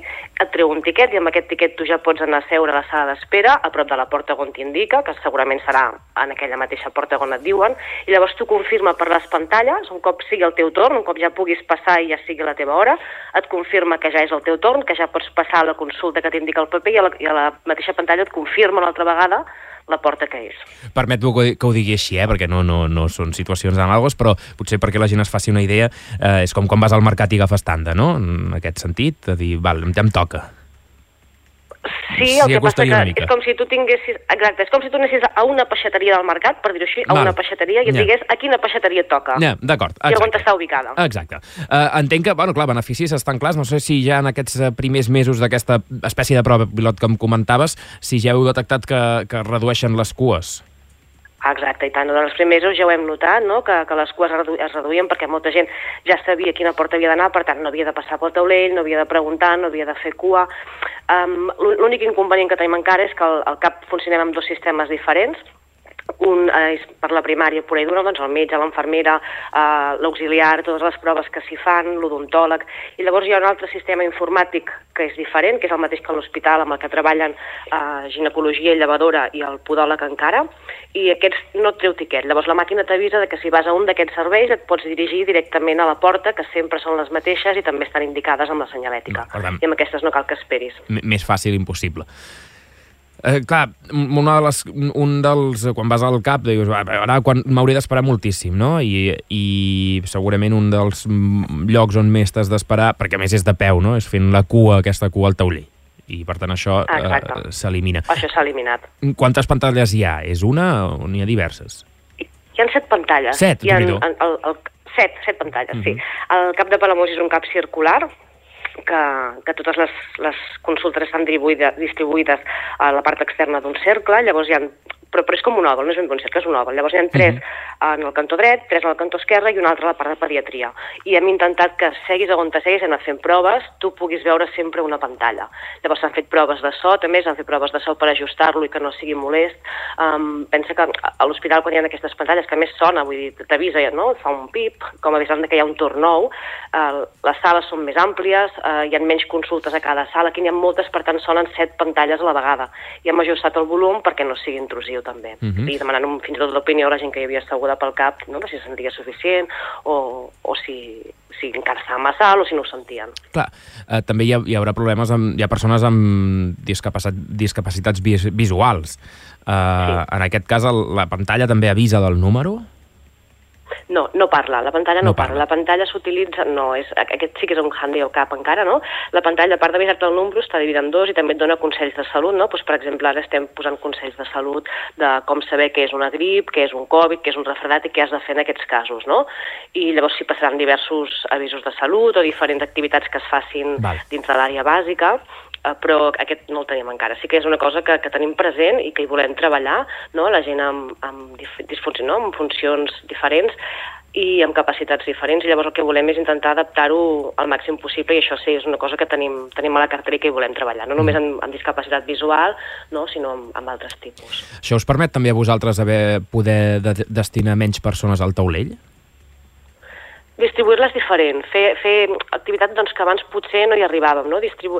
et treu un tiquet i amb aquest tiquet tu ja pots anar a seure a la sala d'espera a prop de la porta on t'indica, que segurament serà en aquella mateixa porta on et diuen, i llavors tu confirma per les pantalles, un cop sigui el teu torn, un cop ja puguis passar i ja sigui la teva hora, et confirma que ja és el teu torn, que ja pots passar a la consulta que t'indica el paper i a la, i a la mateixa pantalla et confirma una altra vegada la porta que és. Permet-me que ho digui així, eh? perquè no, no, no són situacions anàlogues, però potser perquè la gent es faci una idea, eh, és com quan vas al mercat i agafes tanda, no? En aquest sentit, de dir, val, ja em toca. Sí, el sí, que passa que és com si tu tinguessis... Exacte, és com si tu anessis a una peixateria del mercat, per dir-ho així, a val. una peixateria, i et ja. digués a quina peixateria et toca. Ja, d'acord. I on està ubicada. Exacte. Uh, entenc que, bueno, clar, beneficis estan clars. No sé si ja en aquests primers mesos d'aquesta espècie de prova pilot que em comentaves, si ja heu detectat que, que redueixen les cues. Exacte, i tant. En els primers mesos ja ho hem notat, no? que, que les cues redu es reduïen perquè molta gent ja sabia quina porta havia d'anar, per tant no havia de passar pel taulell, no havia de preguntar, no havia de fer cua. Um, L'únic inconvenient que tenim encara és que al, al CAP funcionem amb dos sistemes diferents. Un és per la primària pura i dura, doncs el metge, l'infermera, eh, l'auxiliar, totes les proves que s'hi fan, l'odontòleg, i llavors hi ha un altre sistema informàtic que és diferent, que és el mateix que l'hospital, amb el que treballen eh, ginecologia, llevadora i el podòleg encara, i aquests no et treu tiquet. Llavors la màquina t'avisa que si vas a un d'aquests serveis et pots dirigir directament a la porta, que sempre són les mateixes i també estan indicades amb la senyalètica. No, i amb aquestes no cal que esperis. M més fàcil impossible. Eh, clar, una de les, un dels, quan vas al CAP, dius, ara quan m'hauré d'esperar moltíssim, no? I, I segurament un dels llocs on més t'has d'esperar, perquè a més és de peu, no? És fent la cua, aquesta cua al taulell. I per tant això eh, s'elimina. Això s'ha eliminat. Quantes pantalles hi ha? És una o n'hi ha diverses? Hi ha set pantalles. Set, hi ha, el, el, el, set, set pantalles, uh-huh. sí. El CAP de Palamós és un CAP circular, que, que totes les, les consultes estan distribuïdes a la part externa d'un cercle, llavors hi ha, però, però és com un òval, no és ben bon cercle, és un òval. Llavors hi ha tres uh-huh. en el cantó dret, tres en el cantó esquerre i una altra a la part de pediatria. I hem intentat que seguis on te seguis, hem anat fent proves, tu puguis veure sempre una pantalla. Llavors s'han fet proves de so, també s'han fet proves de so per ajustar-lo i que no sigui molest. Um, pensa que a l'hospital quan hi ha aquestes pantalles, que a més sona, vull dir, t'avisa, no? Fa un pip, com avisant que hi ha un torn nou, uh, les sales són més àmplies, uh, hi ha menys consultes a cada sala, aquí n'hi ha moltes, per tant sonen set pantalles a la vegada. I hem ajustat el volum perquè no sigui intrusiu també. Uh-huh. I demanant un, fins i tot l'opinió a la gent que hi havia asseguda pel CAP, no? Si se sentia suficient o, o si, si encara estava massa alt o si no ho sentien. Clar, eh, també hi, ha, hi haurà problemes amb, hi ha persones amb discapacitat, discapacitats vis, visuals. Eh, sí. En aquest cas el, la pantalla també avisa del número? No, no parla, la pantalla no, no parla. parla. La pantalla s'utilitza, no, és, aquest sí que és un handicap encara, no? La pantalla, a part d'avisar-te el número, està dividida en dos i també et dona consells de salut, no? Pues, per exemple, ara estem posant consells de salut de com saber què és una grip, què és un Covid, què és un refredat i què has de fer en aquests casos, no? I llavors s'hi passaran diversos avisos de salut o diferents activitats que es facin Val. dins de l'àrea bàsica, però aquest no el tenim encara. Sí que és una cosa que, que tenim present i que hi volem treballar, no? La gent amb, amb, disfuncions, no? amb funcions diferents i amb capacitats diferents, i llavors el que volem és intentar adaptar-ho al màxim possible, i això sí, és una cosa que tenim, tenim a la cartera i que hi volem treballar, no només amb, amb discapacitat visual, no? sinó amb, amb altres tipus. Això us permet també a vosaltres haver, poder de, destinar menys persones al taulell? Distribuir-les diferent, fer, fer activitats doncs, que abans potser no hi arribàvem, no? Distribu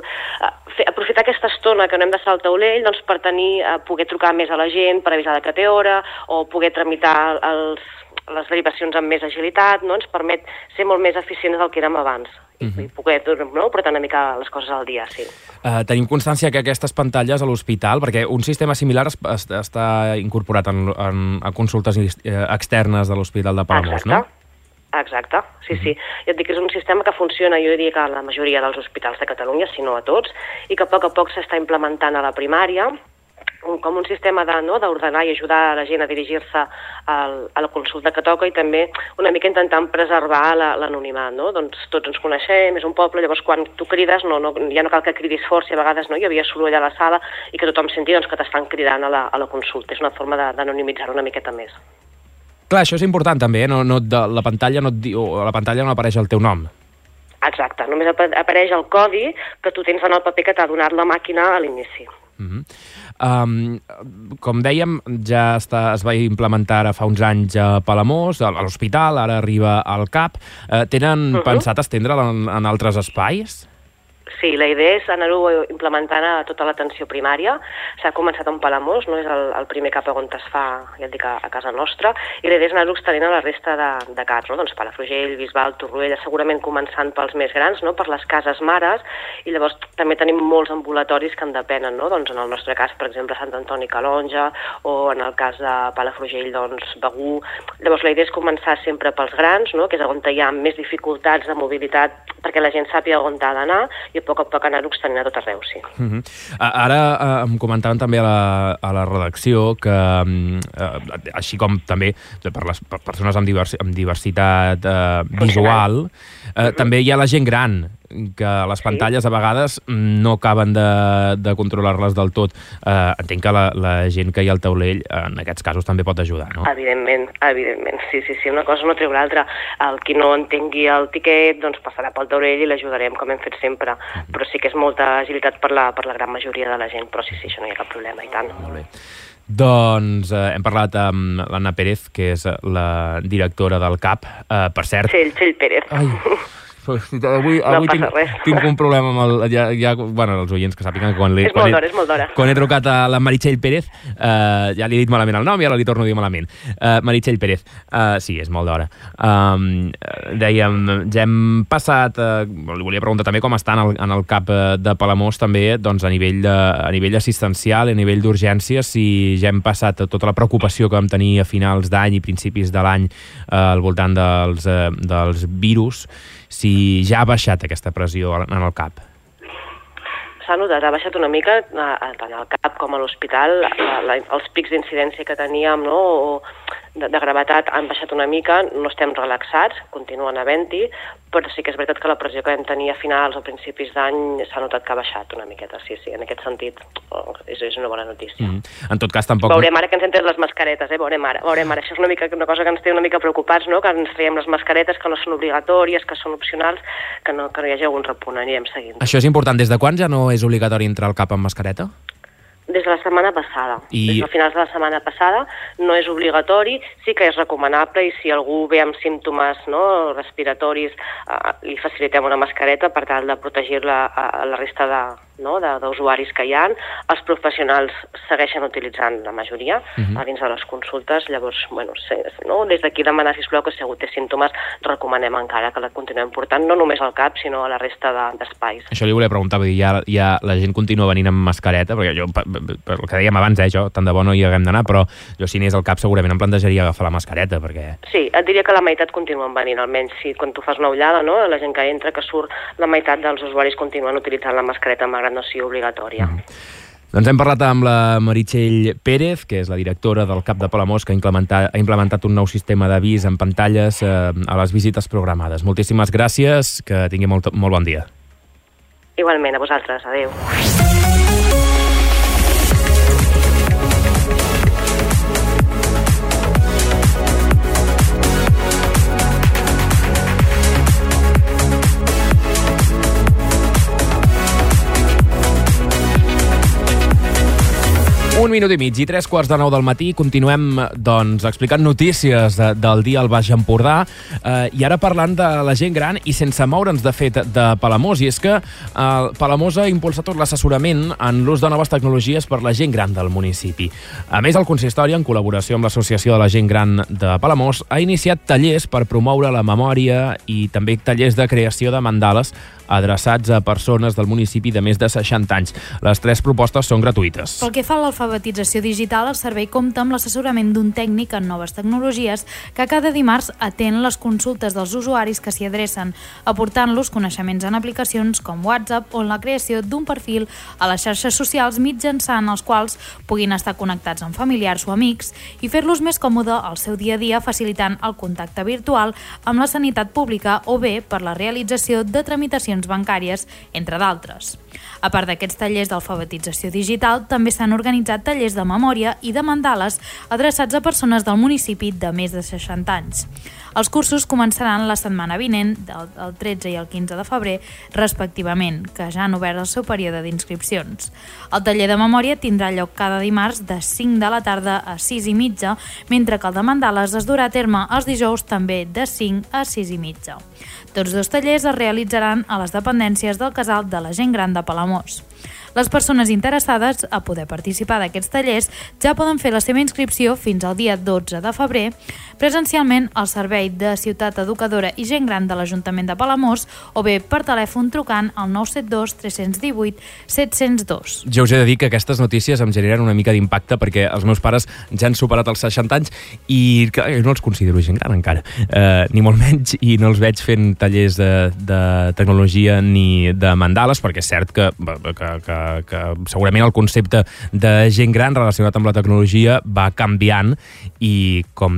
fer, aprofitar aquesta estona que no hem d'estar al taulell doncs, per tenir, uh, poder trucar més a la gent, per avisar que té hora, o poder tramitar els, les derivacions amb més agilitat, no? Ens permet ser molt més eficients del que érem abans. Uh-huh. I poder, no? portar una mica les coses al dia, sí. Uh, tenim constància que aquestes pantalles a l'hospital, perquè un sistema similar es, es, està incorporat en, en, a consultes externes de l'Hospital de Palamós, no? Exacte, sí, sí. Ja et dic que és un sistema que funciona, jo diria que a la majoria dels hospitals de Catalunya, si no a tots, i que a poc a poc s'està implementant a la primària, com un sistema de, no, d'ordenar i ajudar la gent a dirigir-se al, a la consulta que toca, i també una mica intentant preservar la, l'anonimat, no? Doncs tots ens coneixem, és un poble, llavors quan tu crides no, no, ja no cal que cridis fort, si a vegades no hi havia soroll a la sala i que tothom senti doncs, que t'estan cridant a la, a la consulta. És una forma de, d'anonimitzar-ho una miqueta més. Clar, això és important també, eh? no, no, de, la pantalla no et diu, a la pantalla no apareix el teu nom. Exacte, només apareix el codi que tu tens en el paper que t'ha donat la màquina a l'inici. Uh-huh. Um, com dèiem, ja està, es va implementar ara fa uns anys a Palamós, a l'hospital, ara arriba al C A P. Uh, tenen uh-huh. pensat estendre'l en, en altres espais? Sí, la idea és anar-ho implementant a tota l'atenció primària. S'ha començat en Palamós, no és el, el primer C A P on es fa, ja et dic, a, a casa nostra, i la idea és anar-ho extenent a la resta de, de C A Ps, no? Doncs Palafrugell, Bisbal, Torroella, segurament començant pels més grans, no? Per les cases mares, i llavors també tenim molts ambulatoris que en depenen, no? Doncs en el nostre cas, per exemple, Sant Antoni Calonja, o en el cas de Palafrugell, doncs Begur. Llavors la idea és començar sempre pels grans, no? Que és on hi ha més dificultats de mobilitat perquè la gent sàpiga on ha d'anar, i a poc a poc anar-ho extenint a tot arreu, sí. Uh-huh. Ara eh, em comentaven també a la, a la redacció que, eh, així com també per les per persones amb, divers, amb diversitat eh, visual, eh, uh-huh. també hi ha la gent gran, que les pantalles sí. a vegades no acaben de, de controlar-les del tot. Eh, entenc que la, la gent que hi ha al taulell en aquests casos també pot ajudar, no? Evidentment, evidentment. Sí, sí, sí, una cosa no treu l'altra. El qui no entengui el tiquet doncs passarà pel taulell i l'ajudarem, com hem fet sempre. Uh-huh. Però sí que és molta agilitat per la, per la gran majoria de la gent, però sí, sí, això no hi ha cap problema, i tant. Molt bé. Doncs eh, hem parlat amb l'Anna Pérez, que és la directora del C A P. Eh, per cert... Txell, Txell Pérez. Ai... Avui, avui no tinc, tinc un problema amb el, ja, ja, bueno, els oients que sàpiguen que quan, és quan, molt d'hora, és molt d'hora. Quan he trucat a la Meritxell Pérez uh, ja li he dit malament el nom i ara li torno a dir malament. uh, Meritxell Pérez, uh, sí, és molt d'hora. um, dèiem, ja hem passat uh, li volia preguntar també com està en el, en el C A P de Palamós també, doncs a nivell, de, a nivell assistencial, a nivell d'urgències, si ja hem passat tota la preocupació que vam tenir a finals d'any i principis de l'any uh, al voltant dels, uh, dels virus, si ja ha baixat aquesta pressió en el C A P. S'ha notat, ha baixat una mica tant al C A P com a l'hospital. Els pics d'incidència que teníem, no, o de, de gravetat han baixat una mica, no estem relaxats, continuen havent-hi, però sí que és veritat que la pressió que vam tenir a finals o principis d'any s'ha notat que ha baixat una miqueta, sí, sí, en aquest sentit oh, és, és una bona notícia. Mm. En tot cas, tampoc... Veurem ara que ens hem tret les mascaretes, eh? Veurem ara, veurem ara. Això és una, mica, una cosa que ens té una mica preocupats, no? Que ens traiem les mascaretes, que no són obligatòries, que són opcionals, que no, que no hi hagi algun repunt, anirem seguint. Això és important. Des de quan ja no és obligatori entrar al C A P amb mascareta? Des de la setmana passada. I... Des de finals de la setmana passada no és obligatori, sí que és recomanable, i si algú ve amb símptomes, no, respiratoris, eh, li facilitem una mascareta per tal de protegir-la a, a la resta de, no, d'usuaris que hi ha. Els professionals segueixen utilitzant la majoria uh-huh. a dins de les consultes, llavors, bueno, sí, no, des d'aquí demanar, sisplau, que si algú té símptomes, recomanem encara que la continuem portant, no només al C A P, sinó a la resta de, d'espais. Això li volia preguntar, vull dir, ja, ja la gent continua venint amb mascareta, perquè jo, per, per el que dèiem abans, eh, jo, tant de bo no hi haguem d'anar, però jo si anés al C A P segurament em plantejaria agafar la mascareta, perquè... Sí, et diria que la meitat continuen venint, almenys si quan tu fas una ullada, no, la gent que entra, que surt, la meitat dels usuaris continuen utilitzant la mascareta, malgrat no sigui obligatòria. Mm. Doncs hem parlat amb la Meritxell Pérez, que és la directora del C A P de Palamós, que ha implementat, ha implementat un nou sistema d'avís en pantalles eh, a les visites programades. Moltíssimes gràcies, que tingui molt, molt bon dia. Igualment, a vosaltres. Adéu. Un minut i mig i tres quarts de nou del matí. Continuem, doncs, explicant notícies de, del dia al Baix Empordà eh, i ara parlant de la gent gran i sense moure'ns, de fet, de Palamós. I és que eh, Palamós ha impulsat tot l'assessorament en l'ús de noves tecnologies per la gent gran del municipi. A més, el consistori, en col·laboració amb l'Associació de la Gent Gran de Palamós, ha iniciat tallers per promoure la memòria i també tallers de creació de mandales adreçats a persones del municipi de més de seixanta anys. Les tres propostes són gratuïtes. Pel que fa a l'alfabetització l'alfabetització digital, el servei compta amb l'assessorament d'un tècnic en noves tecnologies que cada dimarts atén les consultes dels usuaris que s'hi adrecen, aportant-los coneixements en aplicacions com WhatsApp o en la creació d'un perfil a les xarxes socials mitjançant els quals puguin estar connectats amb familiars o amics i fer-los més còmode al seu dia a dia, facilitant el contacte virtual amb la sanitat pública o bé per la realització de tramitacions bancàries, entre d'altres. A part d'aquests tallers d'alfabetització digital, també s'han organitzat tallers de memòria i de mandales adreçats a persones del municipi de més de seixanta anys. Els cursos començaran la setmana vinent, del tretze i el quinze de febrer, respectivament, que ja han obert el seu període d'inscripcions. El taller de memòria tindrà lloc cada dimarts de cinc de la tarda a sis i mitja, mentre que el de mandales es durà a terme els dijous també de cinc a sis i mitja. Tots dos tallers es realitzaran a les dependències del Casal de la Gent Gran de Palamós. Les persones interessades a poder participar d'aquests tallers ja poden fer la seva inscripció fins al dia dotze de febrer presencialment al Servei de Ciutat Educadora i Gent Gran de l'Ajuntament de Palamós o bé per telèfon trucant al nou set dos tres un vuit set zero dos. Jo us he de dir que aquestes notícies em generen una mica d'impacte perquè els meus pares ja han superat els seixanta anys i que jo no els considero gent gran encara, eh, ni molt menys, i no els veig fent tallers de, de tecnologia ni de mandales, perquè és cert que, que, que que segurament el concepte de gent gran relacionat amb la tecnologia va canviant i com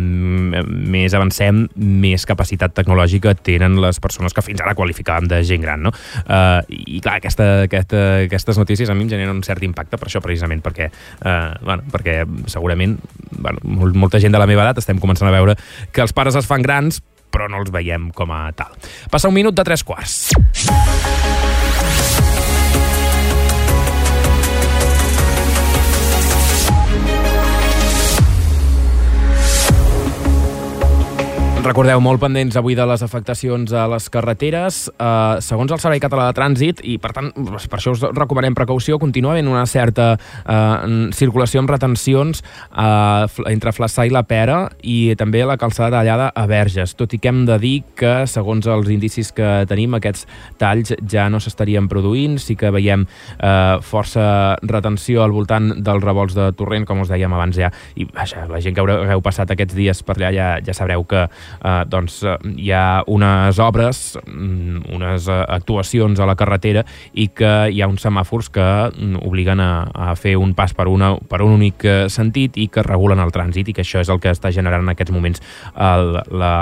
més avancem, més capacitat tecnològica tenen les persones que fins ara qualificàvem de gent gran, no? Uh, I clar, aquesta, aquesta, aquestes notícies a mi em generen un cert impacte per això precisament, perquè, uh, bueno, perquè segurament bueno, molta gent de la meva edat estem començant a veure que els pares es fan grans però no els veiem com a tal. Passa un minut de tres quarts. Recordeu, molt pendents avui de les afectacions a les carreteres. Uh, segons el Servei Català de Trànsit, i per tant, per això us recomanem precaució, continua havent una certa uh, circulació amb retencions uh, entre Flaçà i la Pera i també la calçada tallada a Verges, tot i que hem de dir que, segons els indicis que tenim, aquests talls ja no s'estarien produint. Sí que veiem uh, força retenció al voltant dels revolts de Torrent, com us dèiem abans ja, i vaja, la gent que haureu passat aquests dies per allà ja, ja sabreu que Uh, doncs uh, hi ha unes obres, um, unes uh, actuacions a la carretera i que hi ha uns semàfors que um, obliguen a, a fer un pas per, una, per un únic uh, sentit i que regulen el trànsit, i que això és el que està generant en aquests moments el, la,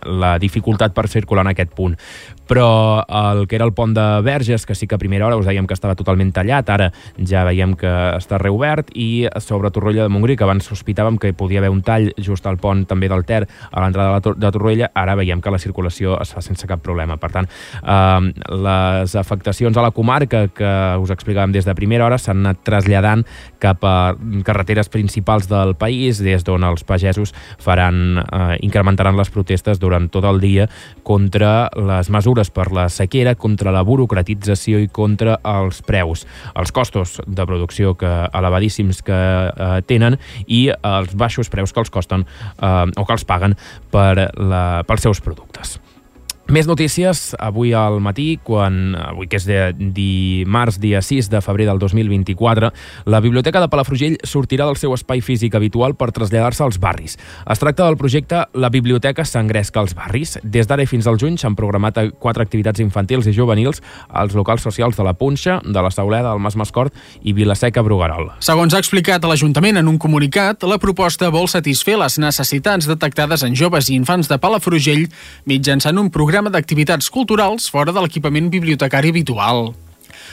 la dificultat per circular en aquest punt. Però el que era el pont de Verges, que sí que a primera hora us dèiem que estava totalment tallat, ara ja veiem que està reobert, i sobre Torroella de Montgrí, que abans sospitàvem que podia haver un tall just al pont també del Ter a l'entrada de, de Torroella, ara veiem que la circulació es fa sense cap problema. Per tant, eh, les afectacions a la comarca que us explicàvem des de primera hora s'han anat traslladant cap a carreteres principals del país, des d'on els pagesos faran, eh, incrementaran les protestes durant tot el dia contra les mesures per la sequera, contra la burocratització i contra els preus, els costos de producció que elevadíssims que eh, tenen i els baixos preus que els costen eh, o que els paguen per la, pels seus productes. Més notícies avui al matí, quan avui que és de dimarts, dia sis de febrer del dos mil vint-i-quatre, la Biblioteca de Palafrugell sortirà del seu espai físic habitual per traslladar-se als barris. Es tracta del projecte La Biblioteca s'engresca als barris. Des d'ara i fins al juny s'han programat quatre activitats infantils i juvenils als locals socials de la Punxa, de la Sauleda, del Mas Mascort i Vilaseca Bruguerol. Segons ha explicat l'Ajuntament en un comunicat, la proposta vol satisfer les necessitats detectades en joves i infants de Palafrugell mitjançant un programa d'activitats culturals fora de l'equipament bibliotecari habitual.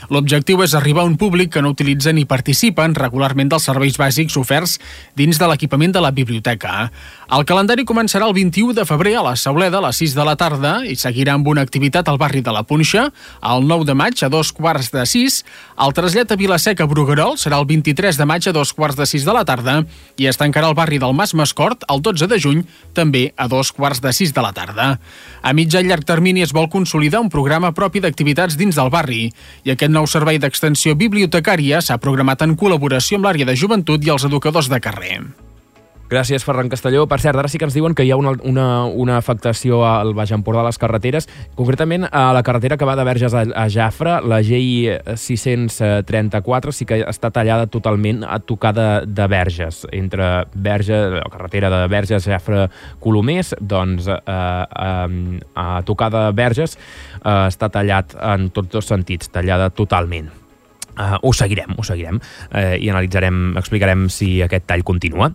L'objectiu és arribar a un públic que no utilitza ni participa regularment dels serveis bàsics oferts dins de l'equipament de la biblioteca. El calendari començarà el vint-i-u de febrer a la Sauleda a les sis de la tarda i seguirà amb una activitat al barri de la Punxa el nou de maig a dos quarts de sis. El trasllat a Vilaseca Bruguerol serà el vint-i-tres de maig a dos quarts de sis de la tarda i es tancarà el barri del Mas Mascort el dotze de juny, també a dos quarts de sis de la tarda. A mitjà i llarg termini es vol consolidar un programa propi d'activitats dins del barri i aquest nou servei d'extensió bibliotecària s'ha programat en col·laboració amb l'àrea de joventut i els educadors de carrer. Gràcies, Ferran Castelló. Per cert, ara sí que ens diuen que hi ha una, una, una afectació al Baix Empordà a les carreteres, concretament a la carretera que va de Verges a, a Jafre, la G I sis-cents trenta-quatre, sí que està tallada totalment a tocar de, de Verges. Entre Verges, la carretera de Verges, Jafre, Colomers, doncs eh, eh, a tocar de Verges eh, està tallat en tots dos sentits, tallada totalment. Uh, ho seguirem, ho seguirem uh, i analitzarem, explicarem si aquest tall continua.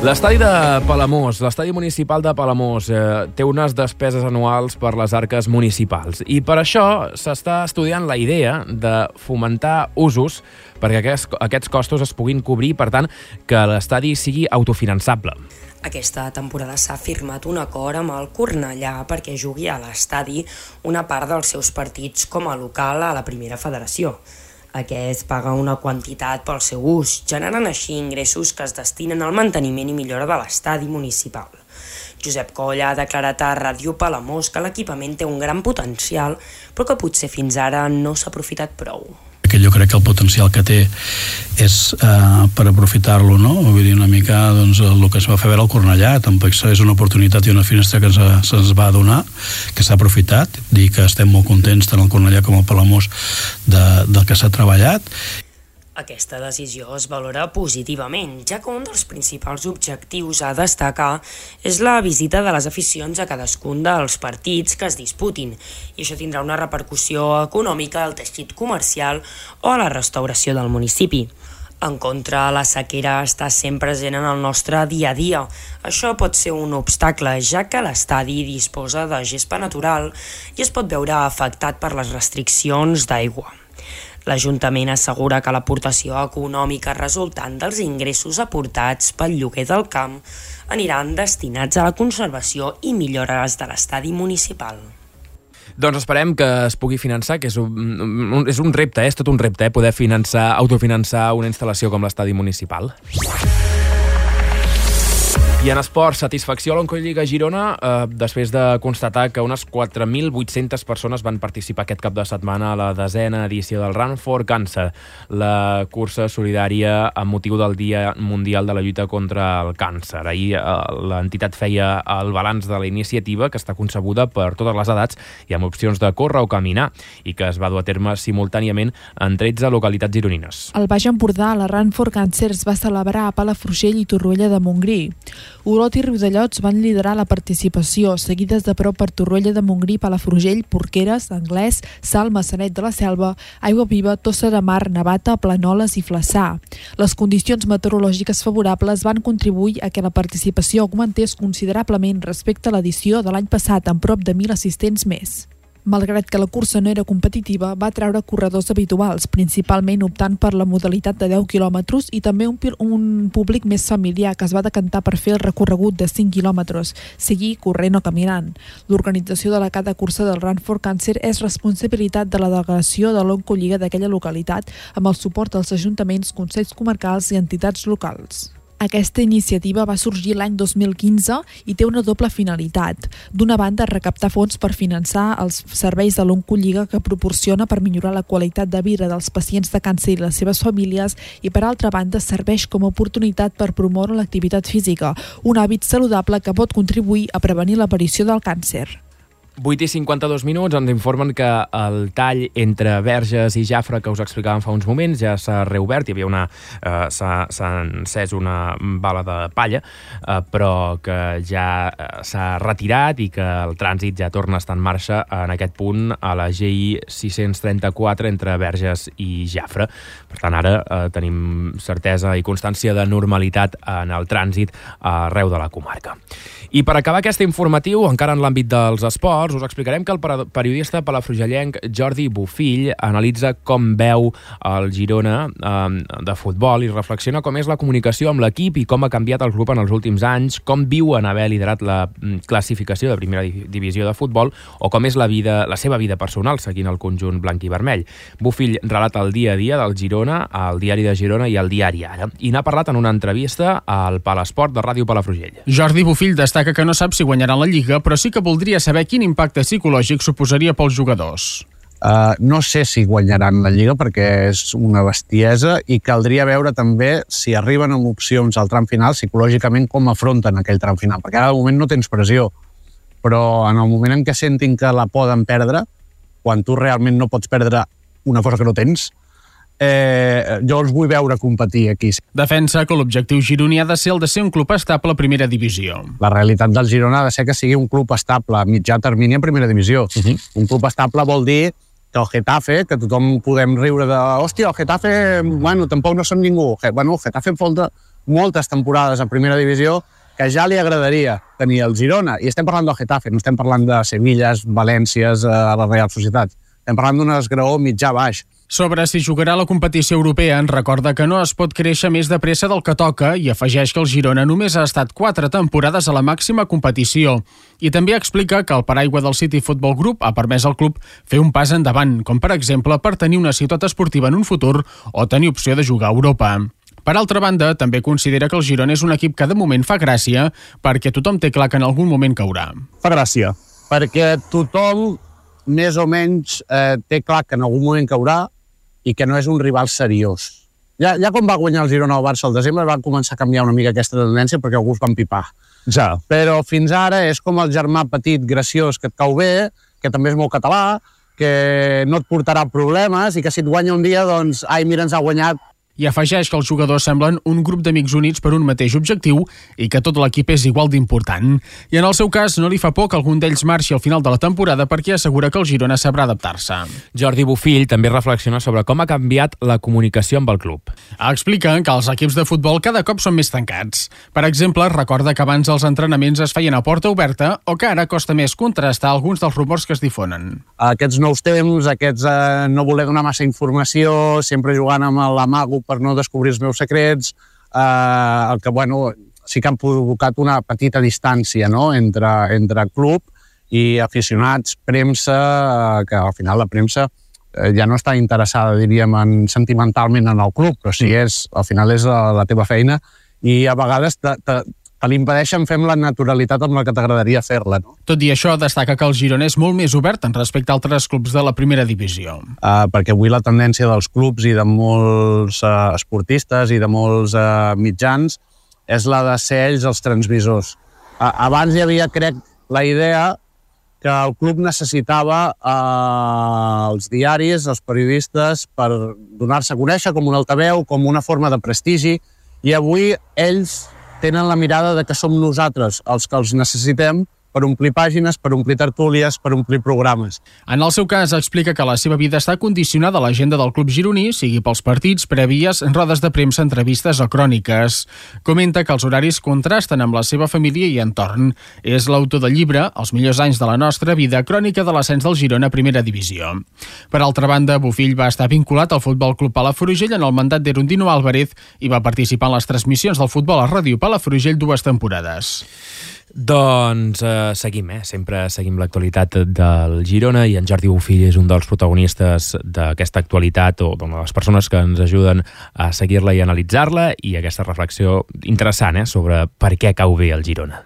L'estadi de Palamós, l'estadi municipal de Palamós, eh, té unes despeses anuals per les arques municipals i per això s'està estudiant la idea de fomentar usos perquè aquests, aquests costos es puguin cobrir, per tant, que l'estadi sigui autofinançable. Aquesta temporada s'ha firmat un acord amb el Cornellà perquè jugui a l'estadi una part dels seus partits com a local a la primera federació. Aquest paga una quantitat pel seu ús, generant així ingressos que es destinen al manteniment i millora de l'estadi municipal. Josep Coll ha declarat a Ràdio Palamós que l'equipament té un gran potencial, però que potser fins ara no s'ha aprofitat prou. Que jo crec que el potencial que té és eh, per aprofitar-lo, no? Vull dir, una mica doncs, el que es va fer veure al Cornellà, tampoc és una oportunitat i una finestra que se'ns se va donar, que s'ha aprofitat, dir que estem molt contents tant al Cornellà com al Palamós de, del que s'ha treballat. Aquesta decisió es valora positivament, ja que un dels principals objectius a destacar és la visita de les aficions a cadascun dels partits que es disputin, i això tindrà una repercussió econòmica al teixit comercial o a la restauració del municipi. En contra, la sequera està sempre present en el nostre dia a dia. Això pot ser un obstacle, ja que l'estadi disposa de gespa natural i es pot veure afectat per les restriccions d'aigua. L'Ajuntament assegura que l'aportació econòmica resultant dels ingressos aportats pel lloguer del camp aniran destinats a la conservació i millores de l'estadi municipal. Doncs esperem que es pugui finançar, que és un, un, és un repte, eh? És tot un repte, eh? Poder finançar, autofinançar una instal·lació com l'estadi municipal. I en esport, satisfacció a l'Oncolliga Girona eh, després de constatar que unes quatre mil vuit-centes persones van participar aquest cap de setmana a la desena edició del Run for Cancer, la cursa solidària amb motiu del Dia Mundial de la Lluita contra el Càncer. Ahir eh, l'entitat feia el balanç de la iniciativa, que està concebuda per totes les edats i amb opcions de córrer o caminar, i que es va dur a terme simultàniament en tretze localitats gironines. Al Baix Empordà, la Run for Cancer es va celebrar a Palafrugell i Torroella de Montgrí. Olot i Riudellots van liderar la participació, seguides de prop per Torroella de Montgrí, Palafrugell, Porqueres, Anglès, Salt, Maçanet de la Selva, Aigua Viva, Tossa de Mar, Navata, Planoles i Flaçà. Les condicions meteorològiques favorables van contribuir a que la participació augmentés considerablement respecte a l'edició de l'any passat, amb prop de mil assistents més. Malgrat que la cursa no era competitiva, va atraure corredors habituals, principalment optant per la modalitat de deu quilòmetres i també un, un públic més familiar que es va decantar per fer el recorregut de cinc quilòmetres, seguir corrent o caminant. L'organització de la cada cursa del Run for Cancer és responsabilitat de la delegació de l'Oncolliga d'aquella localitat, amb el suport dels ajuntaments, consells comarcals i entitats locals. Aquesta iniciativa va sorgir l'any dos mil quinze i té una doble finalitat. D'una banda, recaptar fons per finançar els serveis de l'Oncolliga que proporciona per millorar la qualitat de vida dels pacients de càncer i les seves famílies, i per altra banda serveix com a oportunitat per promoure l'activitat física, un hàbit saludable que pot contribuir a prevenir l'aparició del càncer. vuit i cinquanta-dos minuts, ens informen que el tall entre Verges i Jafre que us explicàvem fa uns moments ja s'ha reobert, hi havia una eh, s'ha, s'ha encès una bala de palla, eh, però que ja eh, s'ha retirat i que el trànsit ja torna a estar en marxa en aquest punt a la G I sis-cents trenta-quatre entre Verges i Jafre. Per tant, ara eh, tenim certesa i constància de normalitat en el trànsit arreu de la comarca. I per acabar aquest informatiu, encara en l'àmbit dels esports, pormenors, us explicarem que el periodista palafrugellenc Jordi Bofill analitza com veu el Girona eh, de futbol i reflexiona com és la comunicació amb l'equip i com ha canviat el club en els últims anys, com viu en haver liderat la classificació de primera divisió de futbol o com és la, vida, la seva vida personal seguint el conjunt blanc i vermell. Bofill relata el dia a dia del Girona al Diari de Girona i al Diari Ara, i n'ha parlat en una entrevista al Palesport de Ràdio Palafrugell. Jordi Bofill destaca que no sap si guanyaran la Lliga, però sí que voldria saber quin impacte psicològic suposaria pels jugadors. Uh, no sé si guanyaran la Lliga perquè és una bestiesa i caldria veure també si arriben amb opcions al tram final, psicològicament com afronten aquell tram final, perquè ara de moment no tens pressió, però en el moment en què sentin que la poden perdre, quan tu realment no pots perdre una cosa que no tens, Eh, jo els vull veure competir aquí. Defensa que l'objectiu gironí ha de ser el de ser un club estable a primera divisió. La realitat del Girona ha de ser que sigui un club estable a mitjà termini en primera divisió. Uh-huh. Un club estable vol dir que el Getafe, que tothom podem riure de hòstia, el Getafe, bueno, tampoc no són ningú. Bueno, el Getafe falta moltes temporades a primera divisió que ja li agradaria tenir el Girona. I estem parlant del Getafe, no estem parlant de Sevilles, Valències, a la Real Societat. Estem parlant d'un esgraó mitjà-baix. Sobre si jugarà a la competició europea, en recorda que no es pot créixer més de pressa del que toca i afegeix que el Girona només ha estat quatre temporades a la màxima competició. I també explica que el paraigua del City Football Group ha permès al club fer un pas endavant, com per exemple per tenir una ciutat esportiva en un futur o tenir opció de jugar a Europa. Per altra banda, també considera que el Girona és un equip que de moment fa gràcia perquè tothom té clar que en algun moment caurà. Fa gràcia, perquè tothom més o menys eh, té clar que en algun moment caurà i que no és un rival seriós. Ja, ja quan va guanyar el Girona al Barça al desembre va començar a canviar una mica aquesta tendència perquè algú es va empipar. Ja. Però fins ara és com el germà petit, graciós, que et cau bé, que també és molt català, que no et portarà problemes i que si et guanya un dia, doncs, ai, mira, ens ha guanyat. I afegeix que els jugadors semblen un grup d'amics units per un mateix objectiu i que tot l'equip és igual d'important. I en el seu cas no li fa por que algun d'ells marxi al final de la temporada perquè assegura que el Girona sabrà adaptar-se. Jordi Bofill també reflexiona sobre com ha canviat la comunicació amb el club. Explica que els equips de futbol cada cop són més tancats. Per exemple, recorda que abans els entrenaments es feien a porta oberta o que ara costa més contrastar alguns dels rumors que es difonen. Aquests nous temps, aquests eh, no voler donar massa informació, sempre jugant amb l'amago per no descobrir els meus secrets, eh, el que, bueno, sí que han provocat una petita distància, no?, entre, entre club i aficionats, premsa, eh, que al final la premsa eh, ja no està interessada, diríem, en, sentimentalment en el club, però sí, és, al final és la, la teva feina i a vegades te, te, te l'impedeixen fer amb la naturalitat amb la que t'agradaria fer-la, no? Tot i això, destaca que el Girona és molt més obert en respecte a altres clubs de la primera divisió. Uh, perquè avui la tendència dels clubs i de molts uh, esportistes i de molts uh, mitjans és la de ser ells els transmissors. Uh, abans hi havia, crec, la idea que el club necessitava uh, els diaris, els periodistes, per donar-se a conèixer com un altaveu, com una forma de prestigi, i avui ells tenen la mirada de que som nosaltres els que els necessitem per omplir pàgines, per omplir tertúlies, per omplir programes. En el seu cas, explica que la seva vida està condicionada a l'agenda del club gironí, sigui pels partits, prèvies, rodes de premsa, entrevistes o cròniques. Comenta que els horaris contrasten amb la seva família i entorn. És l'autor del llibre Els millors anys de la nostra vida, crònica de l'ascens del Girona a primera divisió. Per altra banda, Bofill va estar vinculat al Futbol Club Palafrugell en el mandat d'Erundino Álvarez i va participar en les transmissions del futbol a Ràdio Palafrugell dues temporades. Doncs eh, seguim, eh? Sempre seguim l'actualitat del Girona i en Jordi Bofill és un dels protagonistes d'aquesta actualitat o de les persones que ens ajuden a seguir-la i analitzar-la i aquesta reflexió interessant eh? sobre per què cau bé el Girona.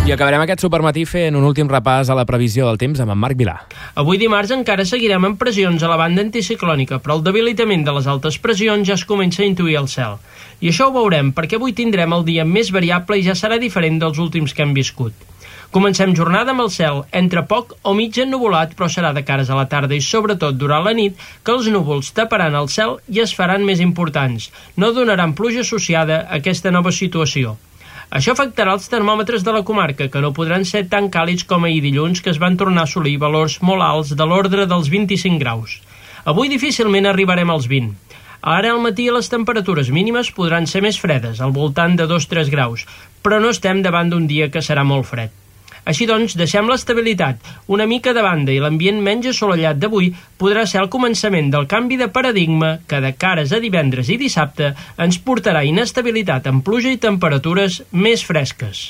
I acabarem aquest supermatí fent un últim repàs a la previsió del temps amb en Marc Vilà. Avui dimarts encara seguirem amb pressions a la banda anticiclònica, però el debilitament de les altes pressions ja es comença a intuir al cel. I això ho veurem perquè avui tindrem el dia més variable i ja serà diferent dels últims que hem viscut. Comencem jornada amb el cel entre poc o mig ennuvolat, però serà de cares a la tarda i sobretot durant la nit que els núvols taparan el cel i es faran més importants. No donaran pluja associada a aquesta nova situació. Això afectarà els termòmetres de la comarca, que no podran ser tan càlids com ahir dilluns, que es van tornar a assolir valors molt alts de l'ordre dels vint-i-cinc graus. Avui difícilment arribarem als vint. Ara al matí les temperatures mínimes podran ser més fredes, al voltant de dos a tres graus, però no estem davant d'un dia que serà molt fred. Així doncs, deixem l'estabilitat una mica de banda i l'ambient menys assolellat d'avui podrà ser el començament del canvi de paradigma que de cares a divendres i dissabte ens portarà inestabilitat amb pluja i temperatures més fresques.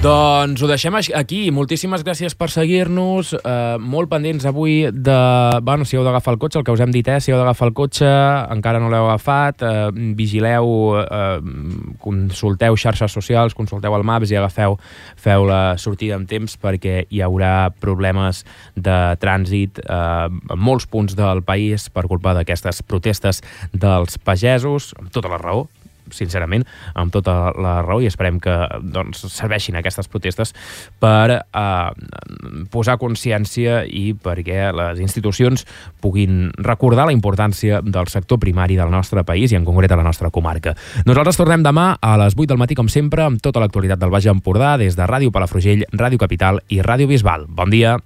Doncs ho deixem aquí. Moltíssimes gràcies per seguir-nos. Eh, molt pendents avui de... Bueno, si heu d'agafar el cotxe, el que us hem dit, eh? Si heu d'agafar el cotxe, encara no l'heu agafat, eh, vigileu, eh, consulteu xarxes socials, consulteu el Maps i agafeu, feu la sortida amb temps perquè hi haurà problemes de trànsit eh, en molts punts del país per culpa d'aquestes protestes dels pagesos, amb tota la raó, sincerament, amb tota la raó, i esperem que doncs, serveixin aquestes protestes per eh, posar consciència i perquè les institucions puguin recordar la importància del sector primari del nostre país i en concret a la nostra comarca. Nosaltres tornem demà a les vuit del matí, com sempre, amb tota l'actualitat del Baix Empordà, des de Ràdio Palafrugell, Ràdio Capital i Ràdio Bisbal. Bon dia!